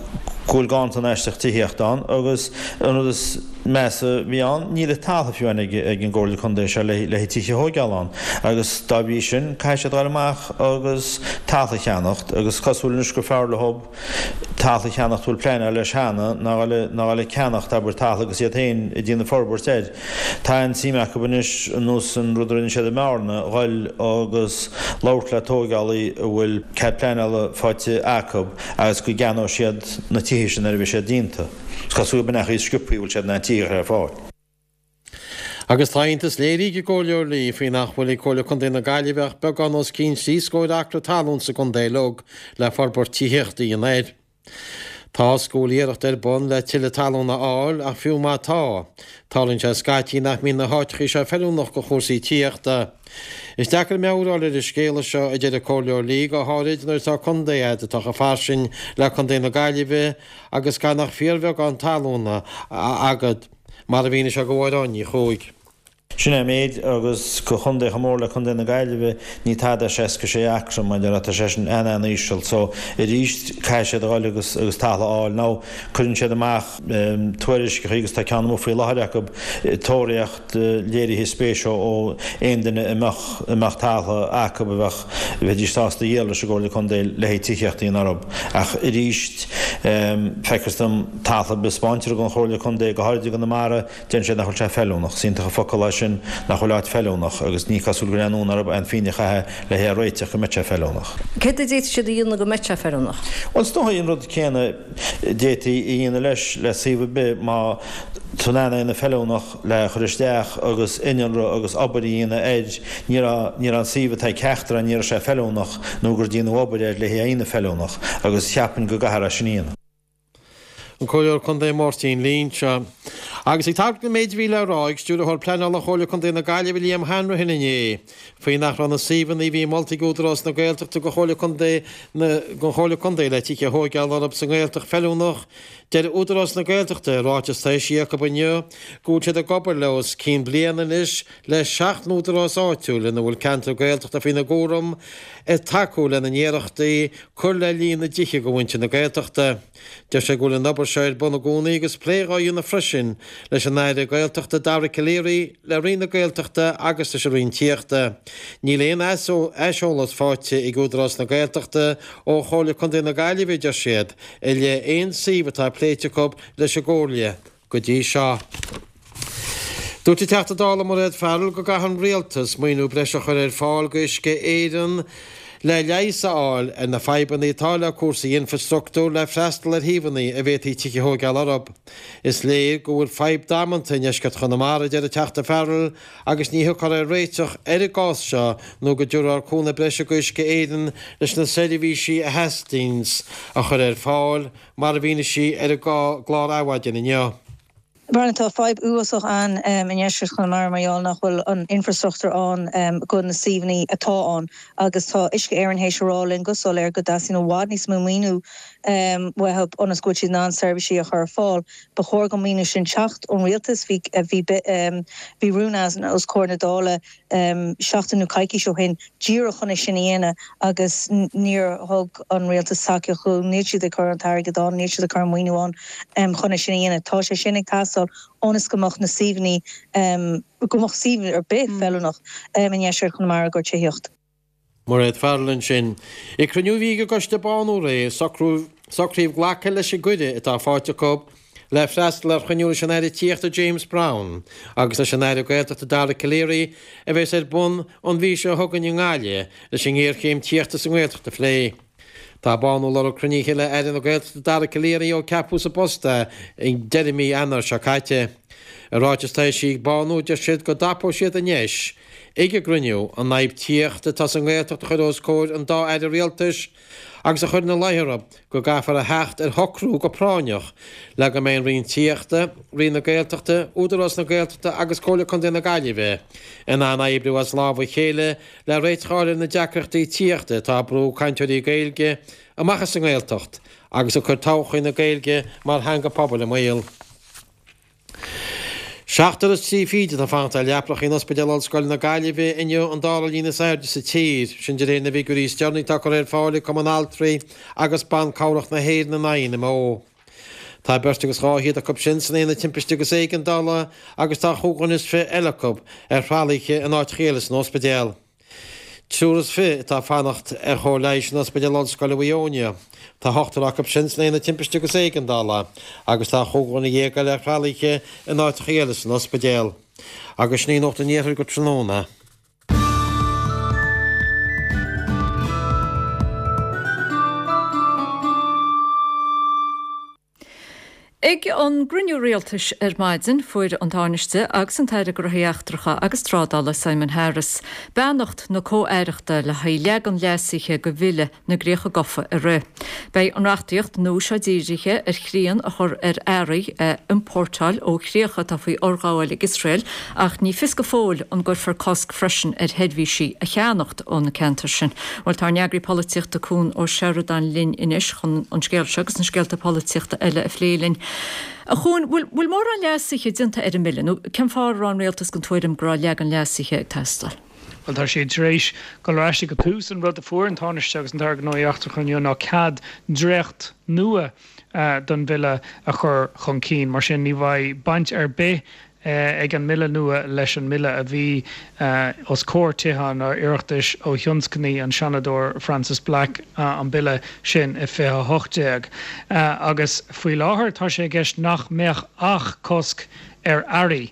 go bhfuil ganntan aisteach tithíochta ann agus an rud is measa a bhí ann, níl an talamh fiú amháin ag an gComhairle Contae seo le le tithe a thóigeáil ann agus dá bhrí sin caithfidh siad dul amach agus talamh a cheannacht agus cosúil anois gur fearr leo talamh a cheannacht a bhfuil pleanáil leis cheana ná ná dhul ag ceannacht abair talamh agus iad féin ag déanamh forbairt air. Tá an-suim acu anois ar nós an rud a rinne siad i mBearna, dhul agus labhairt le tóigeálaí a bhfuil cead pleanála faighte acu agus go gceannóidh siad na tithe sin nuair a bheidh siad déanta. Is cosúil gurb in é an chaoi is sciobthaí a bhfuil siad in ann tithe a chur ar fáil. Agus tá iontas léirithe ag an gComhairleoir Lee faoi nach bhfuil ag Comhairle Contae na Gaillimhe ach beagán os cionn trí scór acra talún sa gcontae uilig le forbairt tithíochta a dhéanamh air. Tá 's go bhfuil iarracht ar bun le tuilleadh talún a fháil ach fiú má tá, tarlaíonn sé scaití nach mbíonn na háiteachaí seo feiliúnach do chúrsaí tithíochta. Is deacair meabhair a fháil ar an scéala seo, a deir an Comhairleoir Lee, go háirid nuair atá contae a'd atá chomh fairsing le Contae na Gaillimhe agus gan ach fíorbheagán talún agat. Mar a mhínigh sé do Mháire Áine Ní Chuaig. Sin é an méid, agus do chontae chomh mór le Contae na Gaillimhe, ní tada é seasca sé acra, mar a déarfá, tá sé sin an-an-íseal. So, arís, caithfidh siad a dhul agus agus talamh a fháil. Now, cuireann siad amach tuairisceacha agus tá ceann amuigh faoi láthair acu, tóraíocht léirithe spéise ó aon duine a mbeadh a mbeadh talamh acu a bheadh, bheidís sásta a dhíol leis an gComhairle Contae le haghaidh tithíocht a dhéanamh orthu. Ach arís, feictear dom talamh ar bith a 'spáintear don Chomhairle Contae, go háirid i gConamara, deireann siad nach bhfuil sé feiliúnach. Is iontach an focal é sin, nach bhfuil áit feiliúnach, agus ní cosúil go bhfuil aon fhonn orthu aon phingin a chaitheamh le hé a réiteach go mbeadh sé feiliúnach. Céard a d'fhéadfadh siad a dhéanamh go mbeadh sé feiliúnach? Bhuel, is dóigh an rud céanna a d'fhéadfaí a dhéanamh leis le suíomh ar bith, má tá tú in ann é a dhéanamh feiliúnach le chur isteach agus innealra agus obair a dhéanamh air, ní raibh, ní raibh an suíomh atá ag ceachtar ní raibh sé feiliúnach nó gur déanadh obair air le hé a dhéanamh feiliúnach agus cheapfainn go gcaithfear é sin a dhéanamh. An Comhairleoir Contae Máirtín Lee anseo. Agus ag tagairt don méid a bhí le rá ag Stiúrthóir Pleanála Chomhairle Contae na Gaillimhe Liam Hanrahan inné faoi nach raibh na suíomhanna a bhí molta ag Údarás na Gaeltachta do Chomhairle Contae na don Chomhairle Contae le tithe a thóigeáil orthu sa nGaeltacht feiliúnach, deir Údarás na Gaeltachta i ráiteas atá eisithe acu inniu go bhfuil siad ag obair le os cionn bliain anois le seacht n-údarás áitiúil ina bhfuil ceantar Gaeltachta faoina gcúram ag tacú lena n-iarrachtaí cur le líon na dtithe do mhuintir na Gaeltachta. Deir sé go bhfuil an obair seo ar bun i gcónaí agus plé dhá dhéanamh freisin leis an Aire Gaeltachta Dara Calleary, le Roinn na Gaeltachta agus leis an Roinn Tithíochta. Níl aon aiseolas faighte ag Údarás na Gaeltachta ó Chomhairle Contae na Gaillimhe, a deir siad, i leith aon suíomh atá pléite acu leis an gComhairle go dtí seo. Dúirt an Teachta Dála Mairéad Farrell go gcaithfidh an Rialtas maoiniú breise a chur ar fáil go Uisce Éireann le leigheas a fháil ar na fadhbanna atá le cúrsaí infreastruchtúir le freastal ar shuíomhanna a bhféadfaí tithe a thóigeáil orthu. Is léir go bhfuil fadhb damanta i ndeisceart Chonamara, a deir an Teachta Farrell, agus ní thiocfar ar réiteach ar an gcás seo nó go dtabharfar cúnamh breise go Uisce Éireann leis na seirbhísí a theastaíonns a chur ar fáil, mar a mhínigh sí ar an gclár Adhmhaidin inniu. Brendan, tá fadhb uafásach ann i ndeisceart Chonamara mar gheall nach bhfuil an infreastruchtúr ann go na suíomhanna atá ann agus tá Uisce Éireann théis a rá linn go soiléir go dteastaíonn i bhfad níos mó maoiniú uathu ionas go bhfuil siad in ann seirbhísí a chur ar fáil. Ba chóir don maoiniú sin teacht ón rialtas. Bhí bhí bhí rún ann os comhair na Dála seachtain nó coicís ó shin díreach chun é sin a dhéanamh agus níor thug an rialtas tacaíocht dó, níl siad ag cur an t-airgead ann, níl siad ag cur an maoiniú ann chun é sin a dhéanamh. Tá sé sin ag teastáil ionas go mbeadh na suíomhanna, go mbeadh suíomh ar bith feiliúnach i ndeisceart Chonamara i gcomhair tithíocht. Mairéad Farrell ansin. Ag cruinniú a bhí ag an gcoiste Bánú aréir, socraíodh glacadh leis an gcuireadh atá faighte acu le freastal ar chruinniú leis an Aire Tithíochta James Browne agus leis an Aire Gaeltachta Dara Calleary a bheas ar bun an mhí seo chugainn i nGaillimh leis an ngéarchéim tithíochta sa nGaeltacht a phlé. Tá Bánú ag lorg cruinnithe le Aire na Gaeltachta Dara Calleary ó ceapadh sa bpost é ag deireadh mí Eanáir seo caite. I ráiteas atá eisithe ag Bánú deir siad go dtapóidh siad an deis ag an gcruinniú an fhadhb tithíochta atá sa nGaeltacht a chur os comhair an dá Aire Rialtais agus a chur ina luí orthu go gcaithfear a theacht ar shocrú go práinneach le go mbeidh an Roinn Tithíochta, Roinn na Gaeltachta, Údarás na Gaeltachta agus Comhairle Contae na Gaillimhe in ann oibriú as lámh a chéile le réiteach a fháil ar na deacrachtaí tithíochta atá ag brú cainteoirí Gaeilge amach as an nGaeltacht agus ag cur todhchaí na Gaeilge mar theanga pobail i mbaol. Seachtar is trí fichid atá ag fanacht ar leapacha in Ospidéal Ollscoile na Gaillimhe inniu, an dara líon is airde sa tír, sin de réir na bhfigiúirí is deireanaí atá curtha ar fáil ag Cumann Altraí agus Ban Cabhrach na hÉireann, an INMO. Tá beirt agus dhá fhichead acu sin san Aonad Timpiste agus Éigeandála agus tá chúig dhuine is fiche eile acu ar thralaithe in áiteacha eile san ospidéal. Triúr is fiche atá ag fanacht ar chóir leighis in Ospidéal Ollscoile Mhaigh Eo. Tá ochtar acu sin san Aonad Timpiste agus Éigeandála agus tá chúig dhuine dhéag eile ar thralaithe in áiteacha eile san ospidéal. Agus sin í Nuacht an Iarthair go tráthnóna. Ag an gcruinniú rialtais ar maidin fuair an Tánaiste agus an tAire Gnóthaí Eachtracha agus Trádála Simon Harris beannacht na comh-aireachta le haghaidh leagan leasaithe de Bhille na gCríocha Gafa a rith. Beidh an reachtaíocht nua seo dírithe ar shrian a chur ar earraí a iompórtáil ó chríocha atá faoi fhorghabháil ag Iosrael ach ní fios go fóill an gcuirfear cosc freisin ar sheirbhísí a cheannacht ó na ceantair sin. Bhuel tá ár n-eagraí polaitíochta Cuan Ó Seireadáin linn anois chun an scéal seo agus na scéalta polaitíochta eile a phlé linn. A Chuain, bhfuil mórán leasuithe déanta ar an mbille, nó cén fáth a raibh an rialtas den tuairim go raibh leagan leasaithe ag teastáil? Bhuel, tá siad tar éis dul ar ais ag an tús. An rud a fuair an Tánaiste agus an tAire Gnóthaí Eachtracha inniu ná cead dréacht nua don bhille a chur chun cinn. Mar sin, ní bheidh baint ar bith ag an mbille nua leis an mbille a bhí os comhair Tithe an Oireachtais ó thionscnaigh an Seanadóir Frances Black an bille sin i fiche a hocht déag. Agus faoi láthair tá sé i gceist nach mbeadh ach cosc ar earraí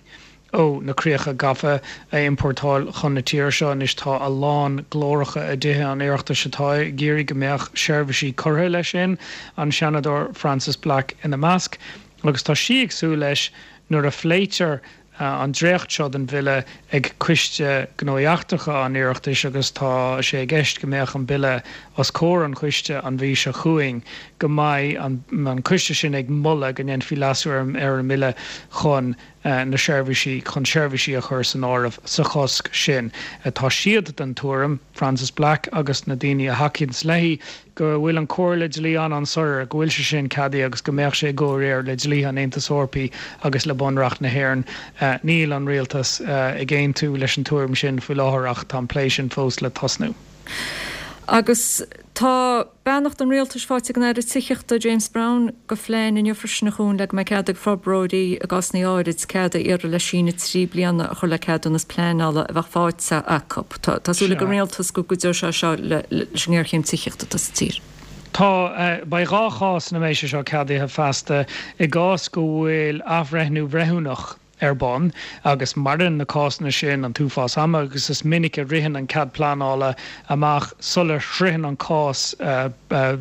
ó na críocha gafa a iompórtáil chun na tíre seo. Anois tá a lán glóracha i dTithe an Oireachtais atá ag iarraidh go mbeadh seirbhísí curtha leis sin, an Seanadóir Frances Black ina measc, agus tá sí ag súil leis nuair a phléitear an dréacht seo den bhille ag Coiste Gnóthaí Eachtracha an Oireachtais, agus tá sé i gceist go mbeadh an bille os comhair an choiste an mhí seo chugainn, go mbeidh an coiste sin ag moladh go ndéanfaí leasú ar an mbille chun na seirbhísí, chun seirbhísí a chur san áireamh sa chosc sin. Tá siad den tuairim, Frances Black agus na daoine a thacaíonns léi, go bhfuil an chomhairle dlí an-an-soiléir, go bhfuil sé sin ceadaithe agus go mbeadh sé i gcomhréir le dlíthe an Aontais Eorpaigh agus le Bunreacht na hÉireann. Níl an rialtas ag aontú leis an tuairim sin faoi láthair ach tá an plé sin fós le tosnú. Agus tá beannacht an rialtais faighte ag an Aire Tithíochta James Browne do phlean inniu freisin a Chuain le go mbeidh cead ag forbróirí i gcásanna áirid cead a iarraidh le síneadh trí bliana a chur le ceadúnas pleanála a bheadh faighte acu. Tá súil ag an rialtas go gcuideoidh sé seo leis an ngéarchéim tithíochta atá sa tír. Tá, beidh dhá chás ina mbeidh sé seo ceadaithe feasta, i gcás go bhfuil athbhreithniú breithiúnach ar bun agus maireann na cásanna sin an t-uafás ama agus is minic a ritheann an cead pleanála amach sula sroicheann an cás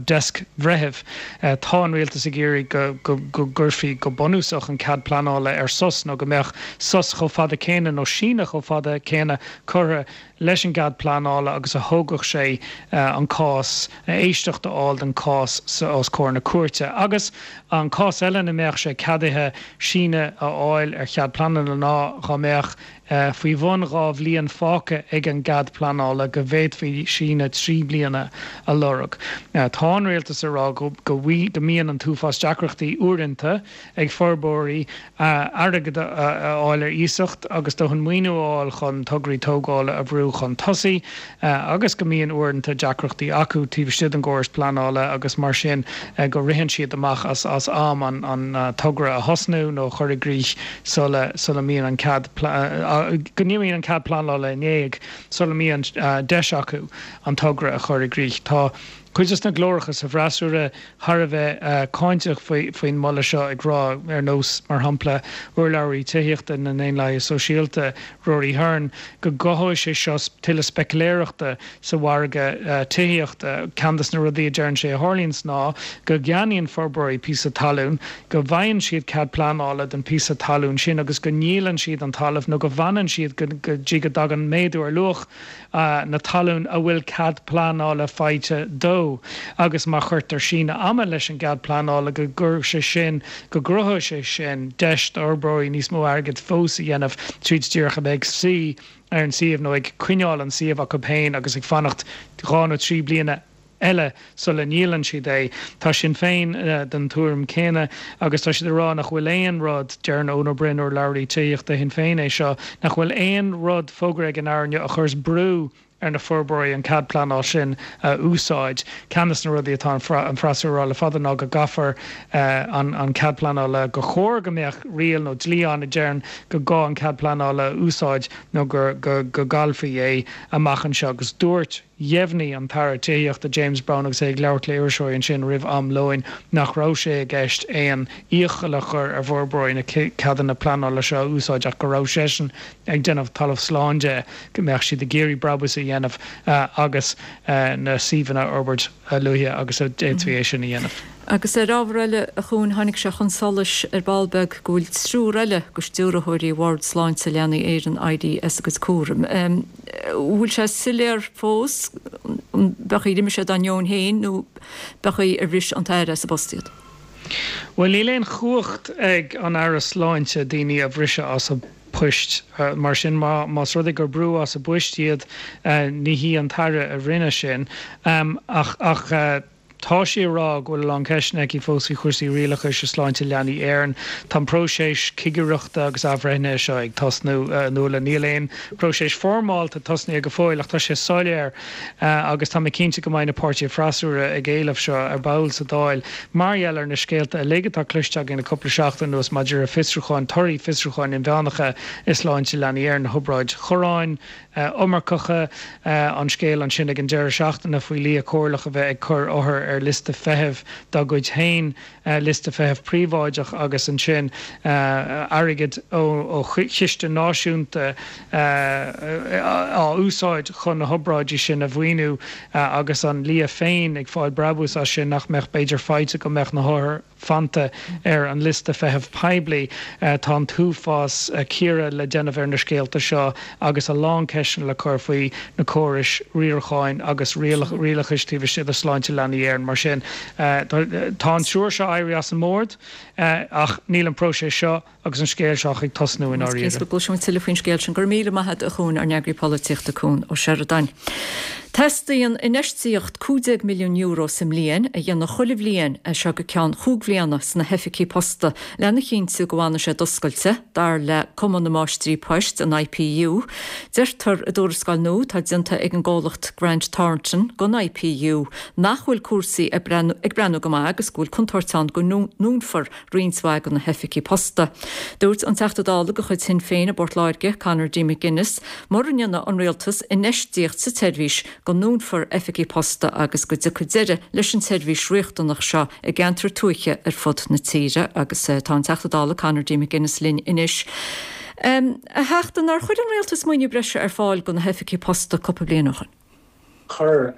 deasc bhreithimh. Tá an rialtas ag iarraidh go gcuirfí go bunúsach an cead pleanála ar sos nó go mbeadh sos chomh fada céanna nó síneadh chomh fada céanna curtha leis an gcead pleanála agus a thógfadh sé an cás, éisteacht a fháil don chás os comhair na cúirte. Agus an cás eile ina mbeadh sé ceadaithe síneadh a fháil ar chead pleanála ná dhá mbeadh faoi bhun dhá bhliain fágtha ag an gcead pleanála go bhféadfaí síneadh trí bliana a lorg. Tá an rialtas ag rá go mbíonn an t-uafás deacrachtaí uaireanta ag forbróirí airgead a fháil ar iasacht agus dóthain maoiniú a fháil chun tograí tógála a bhrú chun tosaigh agus go mbíonn uaireanta deacrachtaí acu taobh istigh den gcóras pleanála agus mar sin go ritheann siad amach as am an togra a thosnú nó a chur i gcrích sula sula mbíonn an cead go n-imíonn an cead pleanála in éag sula mbíonn deis acu an togra a chur i gcrích. Tá cuid de na glóracha sa bhfreasúra thar a bheith cáinteach faoin moladh seo ag rá, ar nós, mar shampla, urlabhraí tithíochta na nDaonlathaithe Sóisialta, Rory Hearne, go gcothóidh sé seo tuilleadh speiciléireachta sa mhargadh tithíochta. Ceann de na rudaí a deireann sé a tharlaíonns ná go gceannaíonn forbróirí píosa talún, go bhfaigheann siad cead pleanála don phíosa talún sin agus go ndíolann siad an talamh nó go bhfanann siad go dtí go dtagann méadú ar luach na talún a bhfuil cead pleanála faighte dó agus má chuirtear síneadh ama leis an gcead pleanála go gcuirfidh sé sin, go gcruthóidh sé sin deis d'fhorbróirí níos mó airgid fós a dhéanamh tríd díreach a bheith ag suí ar an suíomh nó ag coinneáil an suíomh acu féin agus ag fanacht dhá nó trí bliana eile sula ndíolann siad é. Tá Sinn Féin den tuairim céanna agus tá siad ag rá nach bhfuil aon rud, deireann Eoin Ó Broin, urlabhraí tithíochta Shinn Féin é seo, nach bhfuil aon rud fógartha ag an Aire inniu a chuireas brú ar na forbróirí an cead pleanála sin a úsáid. Ceann de na rudaí atá an freasúra a rá le fada ná go gcaithfear an cead pleanála, gur chóir go mbeadh riail nó dlí ann a deireann gur gá an cead pleanála a úsáid nó go gcaillfí é amach anseo. Agus dúirt, dheimhnigh an tAire Tithíochta James Browne agus é ag labhairt le iriseoirí ansin roimh am lóin nach raibh sé i gceist aon iachall a chur ar bhforbróirí na ceadanna pleanála seo a úsáid ach go raibh seisean ag déanamh talamh slán de go mbeadh siad ag iarraidh brabús a dhéanamh agus na suíomhanna a fhorbairt a luaithe agus a d'fhéadfaí é sin a dhéanamh. Agus ar ábhar eile, a Chuain, tháinig sé chun solais ar ball beag go bhfuil triúr eile de stiúrthóirí Bhord Sláinte Leanaí Éireann éirithe as a gcuid cúraim. An bhfuil sé soiléir fós an b'é ar imigh siad dá ndeoin féin nó b'é ar bhris an tAire as a bpost iad? Bhuel, níl aon chumhacht ag an Aire Sláinte daoine a bhriseadh as a bpoist. Mar sin, más rud é gur brúdh as a bpoist iad, ní hí an tAire a rinne sin. Ach, ach. Tá sí ag rá go bhfuil a lán ceisteanna aici fós faoi chúrsaí rialachais i Sláinte Leanaí Éireann. Tá an próiseas cigireachta agus athbhreithnithe seo ag tosnú, a Nuala. Níl aon próiseas foirmeálta tosnaithe go fóill ach tá sé soiléir agus tá mé cinnte go mbeidh na páirtithe freasúra ag éileamh seo ar ball sa Dáil mar gheall ar na scéalta uilig atá cloiste againn le cúpla seachtain anuas maidir le fiosrúcháin, torthaí fiosrúcháin inmheánacha i Sláinte Leanaí Éireann, na hobráid chorráin, iomarcacha, an scéal ansin ag an deireadh seachtaine faoi lia comhairleach a bheith ag cur othar ar liosta feithimh dá gcuid féin, liosta feithimh príobháideach agus ansin airgead ó chiste náisiúnta á úsáid chun na hobráidí sin a mhaoiniú agus an lia féin ag fáil brabús as sin nach mbeadh b'fhéidir faighte go mbeadh na hothair fanta ar an liosta feithimh poiblí. Tá an t-uafás cíoradh le déanamh ar na scéalta seo agus a lán ceisteanna le cur faoi na córais riaracháin agus rialachais taobh istigh de Sláinte Leanaí Éireann. Mar sin, tá an triúr seo éirithe as an mbord ach níl an próiseas seo agus an scéal seo ach ag tosnú i ndáiríre. Is cinnte go gcloisfimid tuilleadh faoin scéal sin. Go raibh míle maith agat, a Chuain, ár n-eagraí polaitíochta Cuan Ó Seireadáin. Teastaíonn infheistíocht cúig déag milliún euro sa mbliain a dhéanamh chuile bhliain as seo go ceann chúig bhliana sna hoifigí posta lena chinntiú go bhfanfaidh siad oscailte, dar le Cumann na Máistrí Poist, an I P U. Deirtear i dtuarascáil nua atá déanta ag an gcomhlacht Grant Thornton don I P U nach bhfuil cúrsaí ag breathnú go maith agus go bhfuil contúirt ann go ndúnfar roinnt mhaith de na hoifigí posta. Dúirt an Teachta Dála de chuid Shinn Féin i bPort Láirge, Conor D. McGuinness, mura ndéanfaidh an rialtas infheistíocht sa tseirbhís go ndúnfar oifigí posta agus go dtiocfaidh deireadh leis an tseirbhís riachtanach seo i gceantair tuaithe ar fud na tíre agus tá an Teachta Dála Conor D. McGuinness linn anois. A Theachta, nár chuir an rialtas maoiniú breise ar fáil do na hoifigí posta cúpla bliain ó shin? Chuir,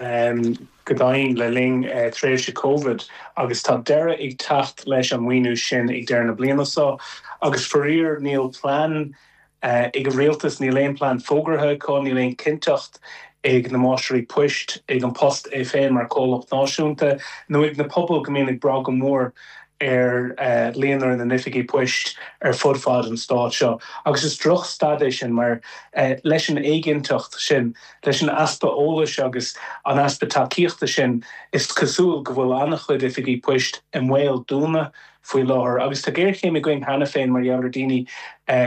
go deimhin le linn tréimhse Covid agus tá deireadh ag teacht leis an maoiniú sin ag deireadh na bliana seo agus faraor níl plean ag an rialtas, níl aon plean fógartha acu, níl aon cinnteacht ag na máistrí poist, ag An Post é féin mar chomhlacht náisiúnta nó ag na pobail go mbíonn ag brath go mór ar líonra na n-oifigí poist ar fud fad an stáit seo. Agus is drochstaid é sin mar leis an éiginnteacht sin, leis an easpa eolais agus an easpa tacaíochta sin, is cosúil go bhfuil an-chuid oifigí poist i mbaol dúnadh faoi láthair. Agus tá géarchéim againn cheana féin mar gheall ar daoine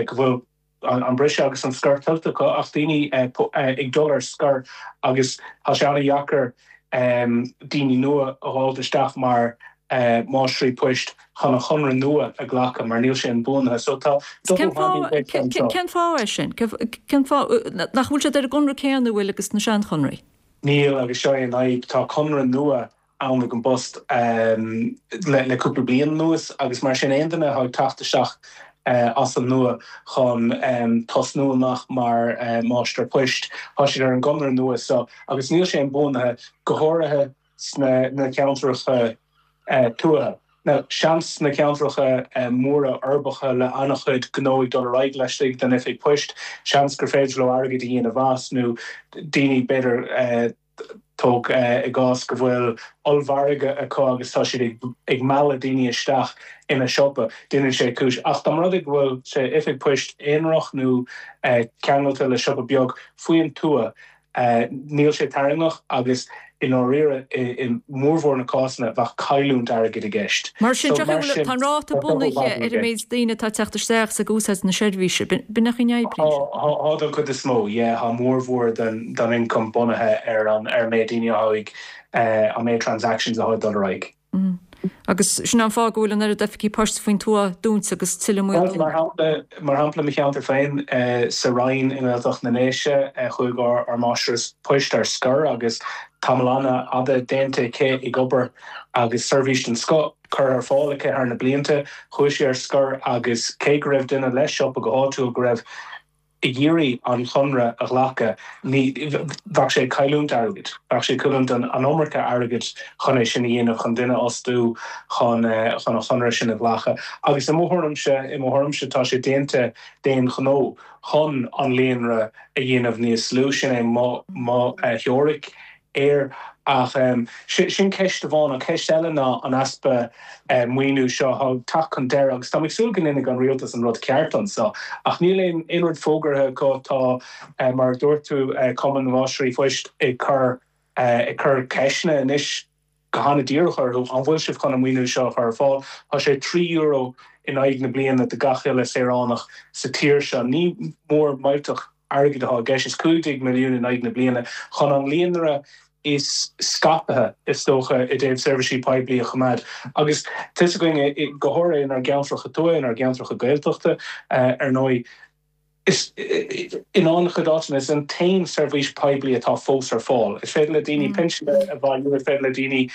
go bhfuil an briseadh agus an scor tuillte acu ach daoine ag dul ar scor agus tá sé an-dheacair daoine nua a fháilt isteach mar máistrí poist chun an chonradh nua a ghlacadh mar níl sé inbhuanaithe. So tá Cén fáth cén fáth é sin? Cén fáth nach bhfuil siad ar an gconradh céanna bhfuil agus na seanchonraí? Níl agus seo é an fhadhb. Tá conradh nua ann ag an bPost le cúpla bliain anuas agus mar sin aon duine atá ag teacht isteach as an nua chun tosnú amach mar máistir poist, tá siad ar an gconradh nua so agus níl sé inbhuanaithe, go háirithe sna na ceantracha tuaithe. Now, seans sna ceantracha móra uirbeacha le an-chuid gnó ag dul ar aghaidh laistigh den oifig poist, seans gur féidir leo airgead a dhéanamh as nó daoine b'fhéidir tóg i gcás go bhfuil ollmhargadh acu agus tá siad ag ag mealladh daoine isteach ina siopa, déanann sé cúis. Ach dá mba rud é go bhfuil sé oifig poist aonarach nó ceangailte le siopa beag faoin tuath, Níl sé tarraingteach agus i ndáiríre i mórmhór na cásanna bheadh cailliúint airgid i gceist. Mar sin, tá an ráta bunaithe ar an méid daoine atá ag teacht isteach is ag úsáid na seirbhíse. B'in an chaoi a n-oibríonn sé. Tá don chuid is mó, yeah. Tá mórmhór den ioncam bunaithe ar an méid daoine atá ag, an méid transactions atá ag dul ar aghaidh. Agus sin an fáth go bhfuil an oiread oifigí poist faoin tuath dúnta agus tuilleadh moill. Mar shampla, mar shampla mo cheantar féin sa Rinn i nGaeltacht na nDéise, chuaigh ár máistreás poist ar scor agus tamall an-fhada déanta aici ag obair agus seirbhís den scoth curtha ar fáil aici thar na blianta. Chuaigh sí ar scor agus cé go raibh duine le siopa go háitiúil go raibh ag iarraidh an chonradh a ghlacadh, ní, bheadh sé ag cailliúint airgid. Bheadh sé ag cailliúint an iomarca airgid chun é sin a dhéanamh, chun duine a fhostú chun chun an chonradh sin a ghlacadh. Agus i mo thuairimse, i mo thuairimse tá sé déanta d'aon ghnó chun an líonra a dhéanamh níos lú. Sin é mo mo theoiric. air. Ach sin ceist amháin. An cheist eile ná an easpa maoiniú seo atá ag teacht chun deiridh agus táim ag súil go ndéanfaidh an rialtas an rud ceart anseo. Ach níl aon rud fógartha acu. Tá, mar a dúirt tú, Cumann na Máistrí Poist ag cur ag cur ceisteanna anois go han-díreach orthu, an bhfuil sibh chun an maoiniú seo a chur ar fáil? Tá sé trí euro in aghaidh na bliana do gach uile saoránach sa tír seo. Ní mór millteach airgid atá i gceist, is cúig déag milliún in aghaidh na bliana chun an líonra is scaipthe, is dócha, i dtaobh seirbhísí poiblí a choimeád. Agus tá 'fhios againn, go háirithe inár gceantracha tuaithe, inár gceantracha Gaeltachta, ar ndóigh, is in an-chuid áiteanna, is an t-aon seirbhís poiblí atá fós ar fáil. Is féidir le daoine pinsin a bhailiú, is féidir le daoine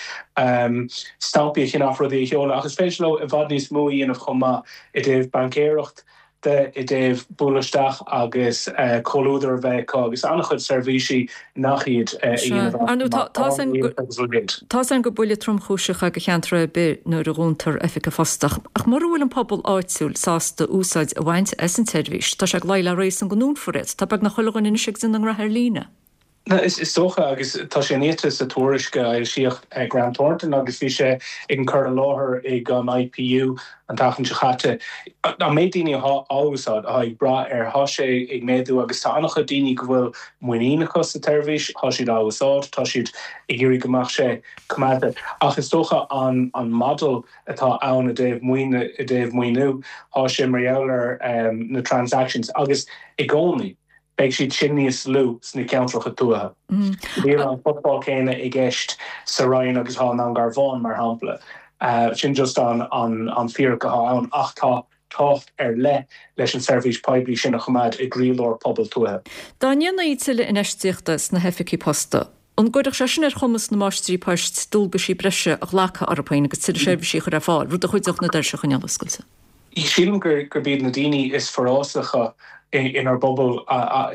stampaí a cheannach, rudaí a sheoladh, ach is féidir leo i bhfad níos mó a dhéanamh chomh maith i dtaobh baincéireacht, de i dtaobh bualadh isteach agus comhluadar a bheith acu agus an-chuid seirbhísí nach iad a dhéanamh Ar ndóigh, tá 's againn gur buille tromchúiseach é do cheantar ar bith nuair a dhúntar oifig an phoist ach mura bhfuil an pobal áitiúil sásta úsáid a bhaint as an tseirbhís, tá sé ag luí le réasún go ndúnfar iad. Tá beagnach chuile dhuine anois ag déanamh a ngraithe ar líne. Is dócha, agus tá sé iniata sa tuairisc a fhoilsíodh ag Grant Thornton agus bhí sé ag an cur i láthair ag an I P U an tseachtain seo chaite, an méid daoine atá á úsáid, atá ag brath air, tá sé ag méadú agus tá an-chuid daoine go bhfuil muinín acu sa tseirbhís, tá siad á úsáid, tá siad ag iarraidh go mbeadh sé coimeádta. Ach is dócha an an model atá ann i dtaobh maoine i dtaobh maoiniú, tá sé mar gheall ar na transactions agus i gcónaí, beidh siad sin níos lú sna ceantracha tuaithe. Níl an footfall céanna i gceist sa Rinn agus atá i nDún Garbhán, mar shampla. Sin just an an fíric atá ann ach tá tábhacht ar leith leis an seirbhís poiblí sin a choimeád i gcroílár pobal tuaithe. Dá ndéanfaí tuilleadh infheistíochta sna hoifigí posta, an gcuirfeadh sé sin ar chumas na máistrí poist dualgaisí breise a ghlacadh orthu féin agus tuilleadh seirbhísí a chur ar fáil, rud a chuideodh na doirse a choinneáil oscailte? Sílim gurb iad na daoine is forásacha inár bpobal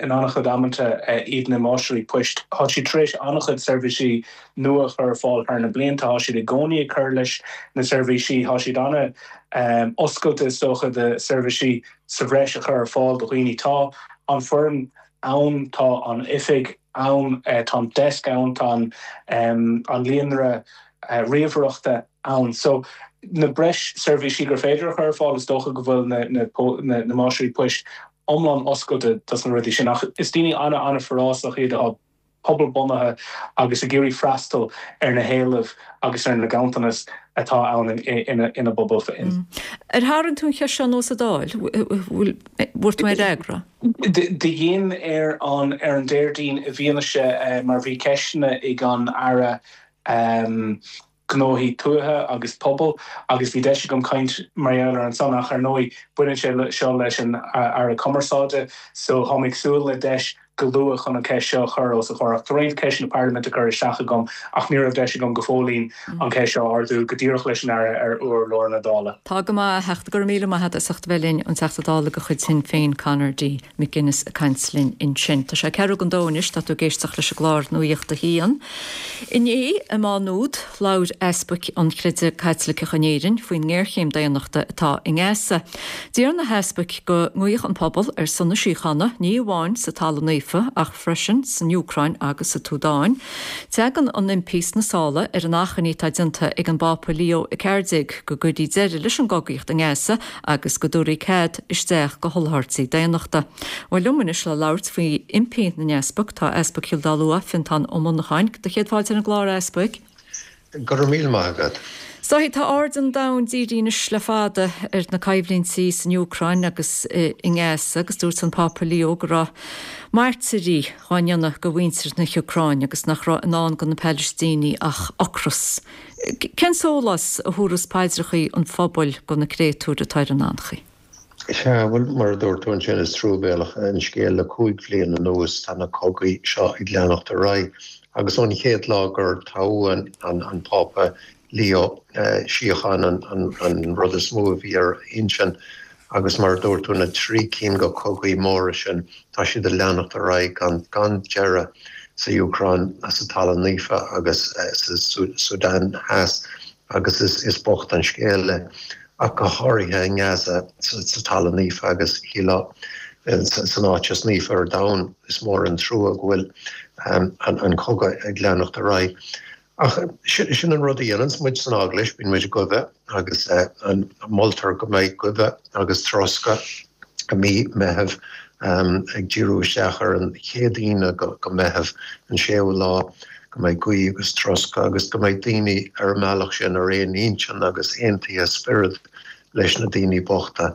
in an-chuid amanta iad na máistrí poist. Tá siad tar éis an-chuid seirbhísí nua a chur ar fáil thar na blianta. Tá siad i gcónaí ag cur leis na seirbhísí. Tá siad an-oscailte, is dócha, do seirbhísí sa bhreis a chur ar fáil do dhaoine. Tá an foireann ann, tá an oifig ann, tá an desk ann, tá an líonra ríomhaireachta ann. So, na breis seirbhísí gur féidir a chur ar fáil, is dócha go bhfuil na na máistrí poist iomlán oscailte dos na rudaí sin. Ach is daoine an-an-fhorásach iad atá pobalbhunaithe agus ag iarraidh freastal ar na héilimh agus ar na ganntanais atá ann ina bpobal féin. Ar tharraing tú an cheist seo anuas sa Dáil? Bhfuil, bhfuair tú aon fhreagra? Do dhein ar an ar an Déardaoin i bhfianaise mar bhí ceisteanna ag an Aire Gnóthaí Tuaithe agus Pobail agus bhí deis agam caint mar gheall ar ansan ach ar ndóigh baineann sé seo leis an Aire Cumarsáide so táim ag súil le deis go luath chun an cheist seo a chur os a chomhair. Ach tá roinnt ceisteanna parlaiminte curtha isteach agam ach ní raibh deis agam go fóillín an cheist seo a ardú go díreach leis an Aire ar urlár na Dála. Tá go maith, a Theachta. Go raibh míle maith agat as ucht a bheith linn, an Teachta Dála de chuid Shinn Féin, Conor D. McGuinness ag caint linn ansin. Tá sé ceathrú don dó anois, tá tú ag éisteacht leis an gclár Nuacht a hAon. Inné i Má Nuad, labhair easpaig an chreidimh Caitliceach in Éirinn faoin ngéarchéim daonnachta atá i nGaza. D'iarr na heaspaig go nguífeadh an pobal ar son na síochána, ní amháin sa Talamh Naofa, Naofa ach freisin san Úcráin agus sa tSúdáin. Tagann an impí sna sála ar an achainí atá déanta ag an bPápa Leo a ceathair déag go gcuirfí deireadh leis an gcogaíocht i nGaza agus go dtabharfaí cead isteach do sholáthairtí daonnachta. Bhuel liom anois le labhairt faoi impí na n-easpag tá Easpag Chill Dá Lua, Fintán Ó Monacháin, do chéad fáilte ar an gclár, a Easpaig. Go raibh míle maith agat. So tá aird an domhain dírithe anois le fada ar na coimhlintí san Úcráin agus i nGaza agus dúirt an Pápa Leo go raibh mairtírí á ndéanamh de mhuintir na hÚcráine agus nach raibh i ndán do na Palaistínigh ach ocras. Cén sólás a thabharfas paidreacha an phobail do na créatúir atá ar an anchaoi? Sea, bhuel, mar a dúirt tú ansin, is truamhéalach an scéal le cúig bhliain anuas tá na cogaí seo ag leanacht ar aghaidh agus ón chéad lá gur toghadh an Pápa Leo, síocháin an rud is mó a bhí ar a intinn agus mar a dúirt tú na trí cinn de chogaí móra sin tá siad ag leanacht ar aghaidh gan gan deireadh sa Úcráin, sa Talamh Naofa agus sa Súdán Theas agus is is bocht an scéal é ach go háirithe i nGaza sa Talamh Naofa agus shílfeá san áit is naofa ar domhan is mór an trua go bhfuil an cogadh ag leanacht ar aghaidh. Ach sin an rud a dhéananns muid san Eaglais, bíonn muid ag guibhe agus moltar go mbeidh guibhe agus troscadh i mí Meitheamh, ag díriú isteach ar an chéad Aoine de Mheitheamh, an séú lá, go mbeidh guí agus troscadh agus go mbeidh daoine ar an mbealach sin ar aon intinn agus aontaithe i spiorad leis na daoine bochta.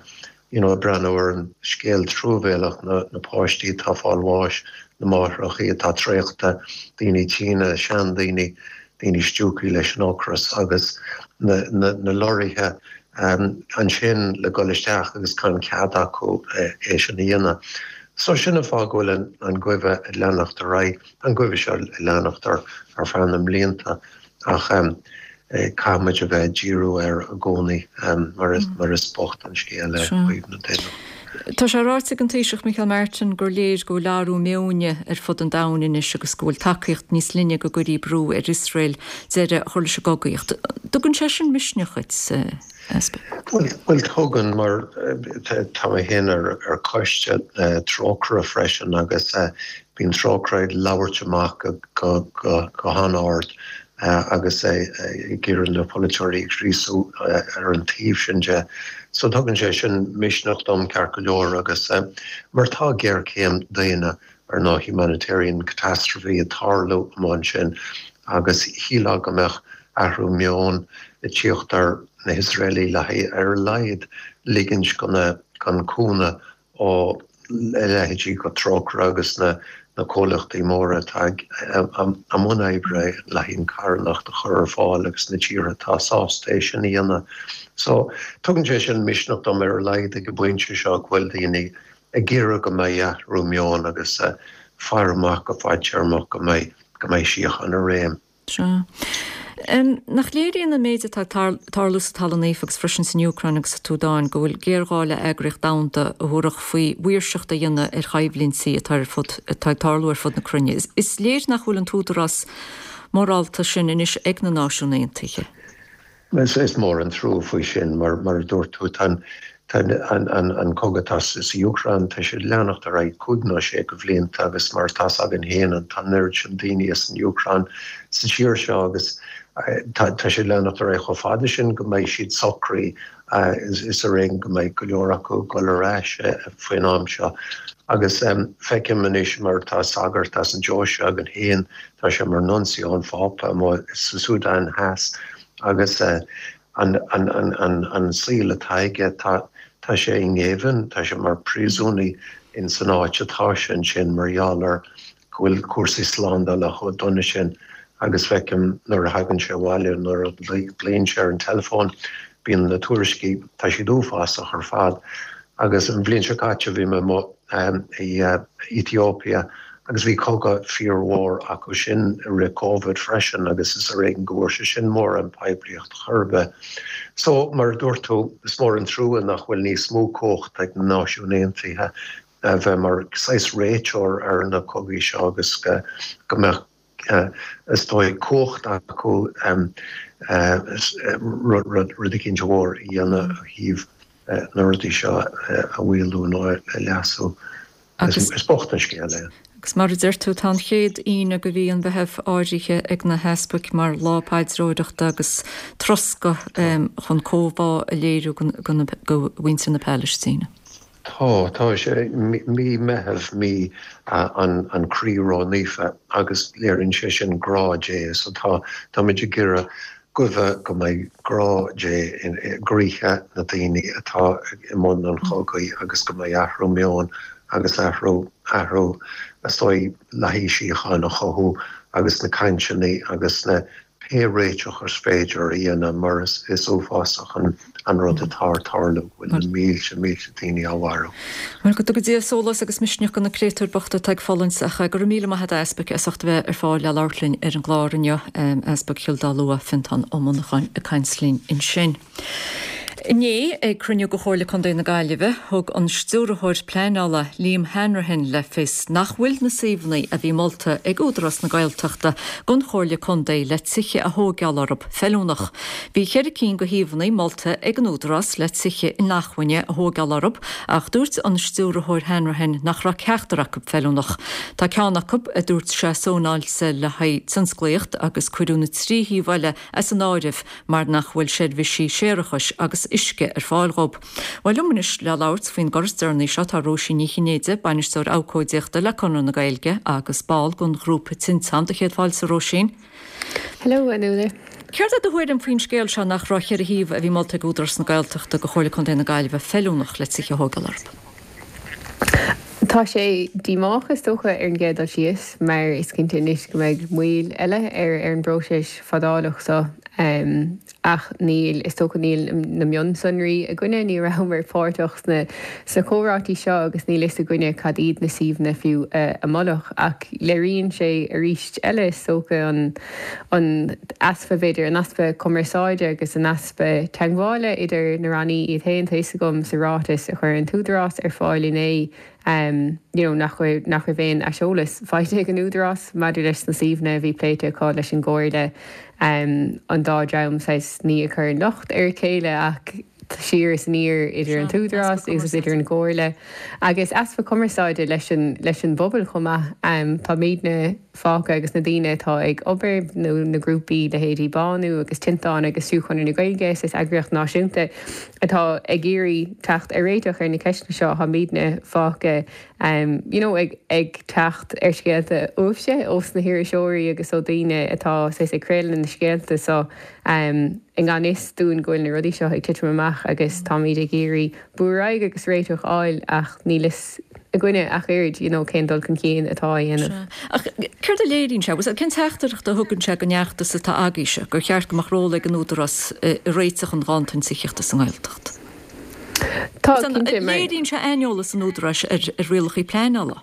You know, ag breathnú ar an scéal truamhéalach, na na páistí atá ag fáil bháis, na máithreachaí atá traochta, daoine tinn, seandaoine, daoine stiúgtha leis an ocras agus na na na lorraithe ansin le dul isteach agus gan cead acu é sin a dhéanamh. So sin an fáth go bhfuil an an guibhe ag leanacht ar aghaidh, an guibhe seo ag leanacht ar ar feadh na mblianta ach caithfidh muid a bheith ag díriú air i gcónaí mar is mar is bocht an scéal é ó thaobh na daonnachta. Tá sé ráite ag an Taoiseach Micheál Martin gur léir go bhfuil athrú meoin ar fud an domhain anois agus go bhfuil tacaíocht níos linne go gcuirfí brú ar Iosrael deireadh a chur leis an gcogaíocht. Tugann sé sin misneach duit, a Easpaig? Bhuel, tugann, mar tá mé féin ar ar choiste Trócaire freisin agus bíonn Trócaire ag labhairt amach go go go han-ard agus ag iarraidh na polaiteoirí a ghríosú ar an taobh sin de. So tugann sé sin misneach dom ceart go leor agus mar tá géarchéim daonna ar ndóigh humanitarian catastrophe ag tarlú amuigh ansin agus shílfeá go mbeadh athrú meoin ag tíocht ar na hIosraelaigh le haghaidh ar a laghad ligint go na gan cúnamh ó leithéidí go Trócaire agus na na comhlachtaí móra atá i mbun oibre le haghaidh an carthanacht a chur ar fáil agus na tíortha atá sásta é sin a dhéanamh. So tugann sé sin misneach dom ar a laghad ag an bpointe seo go bhfuil daoine ag iarraidh go mbeidh athrú meoin agus faire amach go fadtéarmach go mbeidh go mbeidh síocháin i réim. Sea. Nach léiríonn an méid atá ag tarlú sa Talamh Naofa agus freisin san Úcráin agus sa tSúdáin go bhfuil géarghá le eagraíocht domhanda a thabharfadh faoi mhaoirseacht a dhéanamh ar choimhlintí atá ar fud atá ag tarlú ar fud na cruinne. Is léir nach bhfuil an t-údarás morálta sin anois ag na Náisiúin Aontaithe. Is mór an trua faoi sin, mar mar a dúirt tú, tá an Tá an cogadh atá sa Úcráin, tá sé ag leanacht ar aghaidh cúig nó sé de bhlianta agus mar atá 's againn féin tá an oiread sin daoine as an Úcráin sa tír seo agus tá sé ag leanacht ar aghaidh chomh fada sin go mbeidh siad socraithe is ar éigean go mbeidh go leor acu ag dul ar ais faoin am seo. Agus feicim anois mar tá sagart as an deoise againn féin, tá sé mar nuncio an Phápa amuigh sa Súdáin Theas agus an an saol atá aige, tá tá sé i ngéibheann, tá sé mar phríosúnaí in san áit atá sé ansin mar gheall ar go bhfuil cúrsaí slándála chomh dona sin agus feicim nuair a thagann sé abhaile, nuair a ghlaonn sé ar an teileafón, bíonn na tuairiscí, tá siad uafásach ar fad. Agus an bhliain seo caite bhí mé amuigh i Ethiopia agus bhí cogadh fíormhór acu sin i rith Covid freisin agus is ar éigean go bhfuair sé sin mórán poiblíocht chor ar bith. So, mar a dúirt tú, is mór an trua nach bhfuil níos mó cumhacht ag na Náisiúin Aontaithe a bheith mar saghas réiteoir ar na cogaí seo agus go mbeadh is dóigh cumhacht acu rud eicínt mhór a dhéanamh ó thaobh na rudaí seo a mhaolú nó a leasú. Is bocht an scéal é. Agus mar a deir tú, tá an chéad Aoine de mhí an Mheithimh áirithe ag na heaspaig mar lá paidreoireachta agus troscadh chun comhbhá a léiriú go mhuintir na Palaistíne. Tá, tá sé mí Meitheamh, mí an an Chroí Ró-Naofa agus léiríonn sé sin grá Dé, so tá táimid ag iarraidh guí go mbeidh grá Dé i gcroíthe na daoine atá i mbun an chogaidh agus go mbeidh athrú meoin agus athrú athrú is dóigh le haghaidh síocháin a chothú agus na cainteanna agus na pé réiteach is féidir a dhéanamh mar is is uafásach an an rud atá ag tarlú go bhfuil na mílte mílte daoine á mharú. Bhuel, go dtuga Dia sólás agus misneach do na créatúir bochta atá ag fulaingt ach go raibh míle maith agat a Easpaig as ucht a bheith ar fáil le labhairt linn ar an gclár inniu, Easpag Chill Dá Lua, Fiontán Ó Monacháin ag caint linn ansin. Inné, ag cruinniú de Chomhairle Contae na Gaillimhe, thug an Stiúrthóir Pleanála Liam Hanrahan le fios nach bhfuil na suíomhanna a bhí molta ag Údarás na Gaeltachta don Chomhairle Contae le tithe a thóigeáil orthu feiliúnach. Bhí ceithre cinn de shuíomhanna molta ag an Údarás le tithe inacmhainne a thóigeáil orthu ach dúirt an Stiúrthóir Hanrahan nach raibh ceachtar acu feiliúnach. Tá ceann acu, a dúirt sé, sónáilte le haghaidh tionsclaíocht agus cuireadh na trí shuíomh eile as an áireamh mar nach bhfuil seirbhísí séarachais agus uisce ar fáil dhóibh. Bhuel, liom anois le labhairt faoin gcor is deireanaí seo tá Róisín Ní Chinnéide, Bainisteoir Abhcóideachta le Conradh na Gaeilge agus ball den ghrúpa Tinteán. Do chéad fáilte, Róisín. Hello, a Nuala. Céard é do thuairim faoin scéal seo nach raibh ceithre shuíomh a bhí molta ag Údarás na Gaeltachta do Chomhairle Contae na Gaillimhe feiliúnach le tithe a thógáil orthu? Tá sé díomách is dócha ar an gcéad dul síos mar is cinnte anois go mbeidh moill eile ar ar an bpróiseas fadálach seo ach níl, is dócha níl na mionsonraí againne, ní rabhamar páirteach sna sna comhráití seo agus níl fhios againne cad iad na suíomhanna fiú a moladh ach léiríonn sé arís eile is dócha an an easpa b'fhéidir an easpa cumarsáide agus an easpa teagmhála idir na rannaí iad féin. Tá fhios agam sa ráiteas a chuir an tÚdarás ar fáil inné you know nach raibh nach raibh aon aiseolas faighte ag an Údarás maidir leis na suíomhanna a bhí pléite acu leis an gComhairle an dá dream saghas ní ag cur an locht ar a chéile ach siar is aniar idir an tÚdarás agus idir an gComhairle agus easpa cumarsáide leis an leis an bpobal chomh maith. Táimidne fágtha agus na daoine atá ag obair nó na grúpaí leithéidí Bánú agus Tinteán agus fiú Conradh na Gaeilge is eagraíocht náisiúnta atá ag iarraidh teacht ar réiteach ar na ceisteanna seo táimidne fágtha you know ag ag teacht ar scéalta uaibhse ós na hiriseoirí agus ó daoine atá saghas ag craoladh na scéalta so i ngan fhios dúinn go bhfuil na rudaí seo ag titim amach agus táimid ag iarraidh brú ar aghaidh agus réiteach a fháil ach níl fhios againne ach oiread you know cén dul chun cinn atá á dhéanamh. Ach céard a léiríonn sé? Cén teachtaireacht a thugann sé don fheachtas atá agaibhse, gur cheart go mbeadh ról ag an Údarás i réiteach an ghanntan tithíochta sa nGaeltacht? Tá, cinnte, mar. Léiríonn sé aineolas an Údaráis ar rialacha pleanála.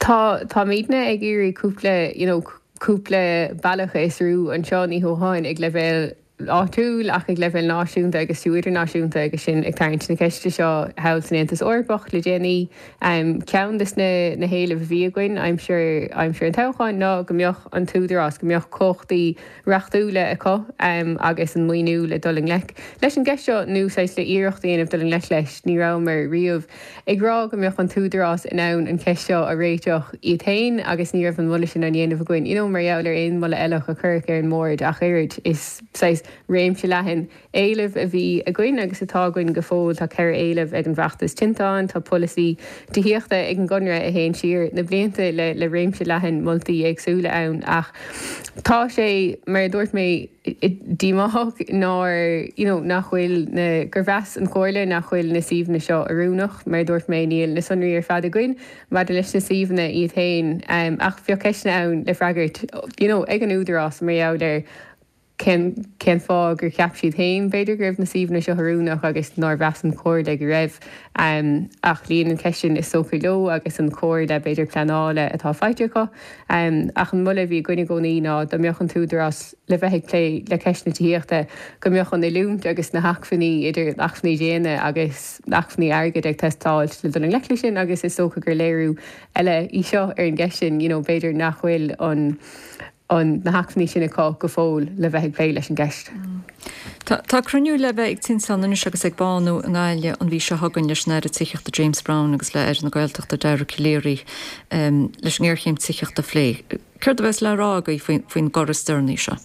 Tá, táimidne ag iarraidh cúpla, you know, cúpla bealach a fhiosrú anseo, ní hamháin ag leibhéal áitiúil ach ag leibhéal náisiúnta agus fiú idirnáisiúnta agus sinn ag tarraingt na ceiste seo thall san Aontas Eorpach le déanaí. Ceann de na héilimh a bhí againn aimsir aimsir an toghcháin ná go mbeadh an tÚdarás, go mbeadh cumhachtaí reachtúla acu agus an maoiniú le dul i ngleic leis an gceist seo nó saghas le iarracht a dhéanamh dul i ngleic leis. Ní rabhamar riamh ag rá go mbeadh an tÚdarás in ann an cheist seo a réiteach iad féin agus ní raibh an moladh sin á dhéanamh againn you know mar gheall ar aon mholadh eile a cuireadh ar an mbord ach oiread. Is saghas réimse leathan éileamh a bhí againn agus atá againn go fóill. Tá ceithre éileamh ag an bhfeachtas Tinteán, tá polasaí tithíochta ag an gConradh a théann siar na blianta le le réimse leathan moltaí éagsúla ann ach tá sé, mar a dúirt mé, díomách nár, you know, nach bhfuil na, gur mheas an Chomhairle nach bhfuil na suíomhanna seo oiriúnach. Mar a dúirt mé, níl na sonraí ar fad againn maidir leis na suíomhanna iad féin ach bheadh ceisteanna ann le freagairt, you know, ag an Údarás mar gheall ar cén cén fáth gur cheap siad féin b'fhéidir go raibh na suíomhanna seo oiriúnach agus nár mheas an Chomhairle go raibh. Ach luíonn an cheist sin is dócha leo agus an chomhairle b'fhéidir pleanála atá faighte acu. Ach an moladh a bhí againn i gcónaí ná dá mbeadh an tÚdarás le bheith ag plé le ceist na tithíochta go mbeadh an oiliúint agus na hacmhainní idir acmhainní daonna agus acmhainní airgid ag teastáil le dul i ngleic leis sin agus is dócha gur léiriú eile í seo ar an gceist sin you know b'fhéidir nach bhfuil an an na hacmhainní sin acu go fóill le bheith ag plé leis an gceist. Tá tá cruinniú le bheith ag Tinteán anois agus ag Bánú i nGaillimh an mhí seo chugainn leis an Aire Tithíochta James Browne agus le Aire na Gaeltachta Dara Calleary um, leis an ngéarchéim tithíochta a phlé. Céard a bheas le rá agaibh faoin faoin gcor is deireanaí seo?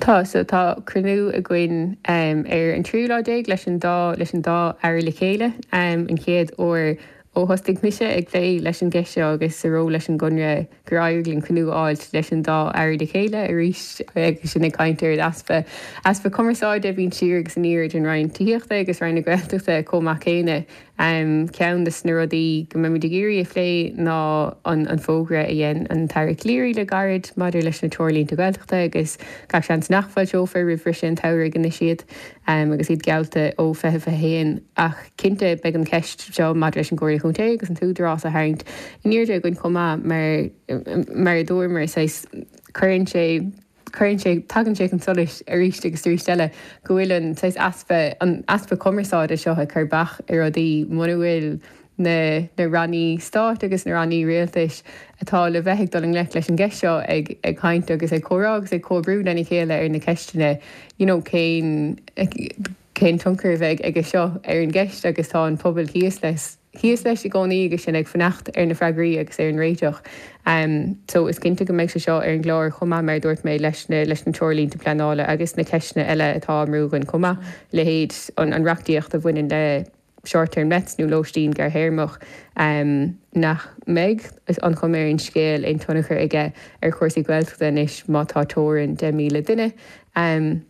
Tá so tá cruinniú againn um, ar an tríú lá déag leis an dá leis an dá aire le chéile um, an chéad uair ó thosaigh mise ag plé leis an gceist seo agus sa ról leis an gConradh gur éirigh linn cruinniú a fháilt leis an dá aire le chéile arís agus sin ag caint ar easpa easpa cumarsáide a bhíonn siar agus aniar idir an Roinn Tithíochta agus Roinn na Gaeltachta chomh maith céanna. Um, ceann de na rudaí go mbeimid ag iarraidh a phlé ná an, an fógra a dhein an tAire Calleary le gairid maidir leis na treoirlínte Gaeltachta agus gach seans nach bhfoilseofar roimh bhriseadh an tsamhraidh anois iad um, agus iad geallta ó fiche fiche haon ach cinnte beidh an cheist seo maidir leis an gComhairle Chontae agus an tÚdarás a tharraingt in airde againn chomh maith mar mar a dúramar saghas cuireann sé cuireann sé tagann sé chun solais arís agus arís eile go bhfuil an saghas easpa an easpa cumarsáide seo ag cur bac ar rudaí muna bhfuil na na rannaí stáit agus na rannaí rialtais atá le bheith ag dul i ngleic leis an gceist seo ag ag caint agus ag comhrá agus ag comhoibriú lena chéile ar na ceisteanna you know cén cén tionchar a bheidh aige seo ar an gceist agus tá an pobal thíos leis thíos leis i gcónaí agus sinn ag fanacht ar na freagraí agus ar an réiteach. Um, so is cinnte go mbeidh sé seo ar an gclár chomh maith mar dúirt mé leis na leis na treoirlínte pleanála agus na ceisteanna eile atá á mbrú againn chomh maith leithéid an an reachtaíocht a bhaineann le short-term lets nó lóistín gearrthéarmach um, nach mbeidh is an chuma ar an scéal aon tionchar aige ar chúrsaí Gaeltachta anois má tá teorainn deich míle duine um,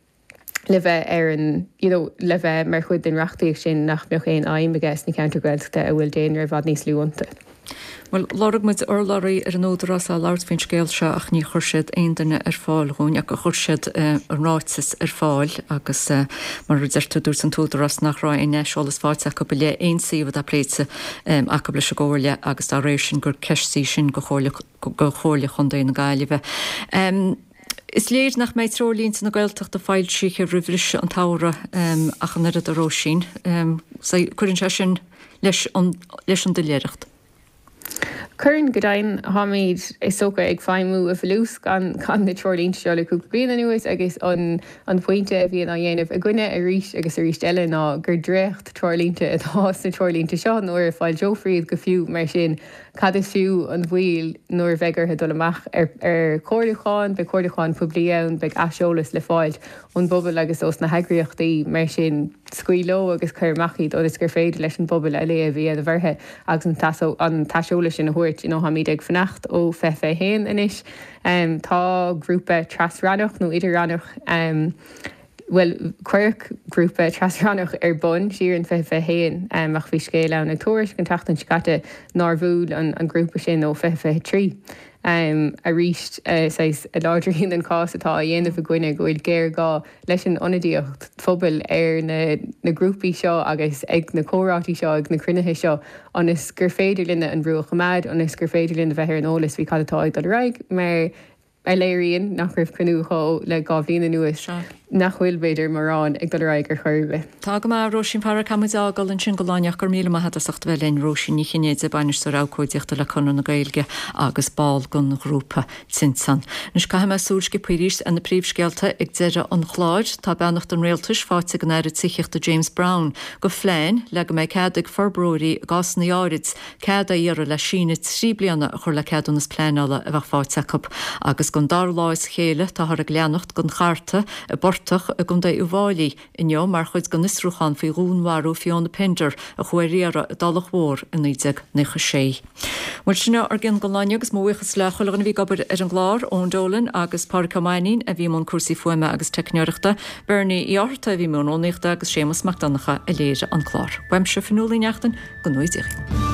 le bheith ar an you know, le bheith mar chuid den reachtaíocht sin nach mbeadh aon fheidhm aige sna ceantair Gaeltachta a bhfuil daonra i bhfad níos lú iontu. Bhuel, lorg muid urlabhraí ar an Údarás le labhairt faoin scéal seo ach ní chuir siad aon duine ar fáil dhúinn ach chuir siad an ráiteas ar fáil agus mar a deir tú dúirt an tÚdarás nach raibh aon aiseolas faighte acu i leith aon suíomh atá pléite acu leis an gComhairle agus dá réir sin gur ceist í sin go Chomhairle Chontae na Gaillimhe. Is léir nach mbeidh treoirlínte na Gaeltachta foilsithe roimh bhriseadh an tsamhraidh ach an oiread a Róisín. Cuireann sé sin leis an doiléireacht. Cuireann go deimhin táimid is dócha ag feidhmiú i bhfolús gan gan na treoirlínte seo le cúpla bliain anuas agus an an pointe a bhíonn á dhéanamh againne arís agus arís eile ná gur dréacht treoirlínte atá sna treoirlínte seo nuair a foilseofar iad go fiú mar sin cad is fiú an mhoill nuair a bheidh orthu dul amach ar ar chomhairliúchán, beidh comhairliúchán poiblí ann, beidh aiseolas le fáil ón bpobal agus ós na heagraíochtaí mar sin scaoil leo agus cuir amach iad ionas gur féidir leis an bpobal a léamh a dhéanamh orthu agus an t-aiseolas sin a thabhairt. You know, táimid ag fanacht ó fiche fiche haon anois. Um, tá grúpa tras-rannach nó idir-rannach um, Bhuel, cuireadh grúpa tras-rannach ar bun siar in fiche fiche haon um, ach bhí scéal ann ag Tuairisc an tseachtain seo caite nár bhuail an, an grúpa sin ó fiche fiche trí. Um, arís uh, saghas a láidríonn an cás atá á dhéanamh againne go bhfuil géarghá leis an ionadaíocht phobail ar na, na grúpaí seo agus ag na comhráití seo ag na cruinnithe seo ionas gur féidir linne an brú a choimeád, ionas gur féidir linn a bheith ar an eolas faoi cad atá ag dul ar aghaidh mar a léiríonn nach raibh cruinniú acu le dhá bhliain anuas, nach bhfuil, b'fhéidir, mórán ag dul ar aghaidh ar chor ar bith. Tá go maith, Róisín Farrar, caithfidh muid a fhágáil ansin don lá inniu. Go raibh míle maith agat as ucht a bheith linn, Róisín Ní Chinnéide, Bainisteoir Abhcóideachta le Conradh na Gaeilge agus ball den ghrúpa Tinteán. Anois caithfidh mé súil sciobtha arís ar na príomhscéalta ag deireadh an chláir. Tá beannacht an Rialtais faighte ag an Aire Tithíochta James Browne do phlean le go mbeidh cead ag forbróirí i gcásanna áirid cead a iarraidh le síneadh trí bliana a chur le ceadúnas pleanála a bheadh faighte acu agus don dara lá as a chéile táthar ag leanacht den chartadh i bportach i gContae Uíbh Fhailí inniu mar chuid den fhiosrúchán faoi dhúnmharú Fiona Pender a chuaigh ar iarraidh i dTulach Mhór i naoi déag nócha sé. Bhuel sin ár gcionn don lá inniu agus mo bhuíochas le chuile dhuine a bhí ag obair ar an gclár, Eoin Dolan agus Pádraig Ó Mainnín a bhí i mbun cúrsaí fuaime agus teicneoireachta, Bernie Uí Fhátharta a bhí i mbun rúnaíochta agus Séamus Mac Donncha a léirigh an clár. Uaimse Fionnuala Ní Neachtain, go ngnóthaí Dia.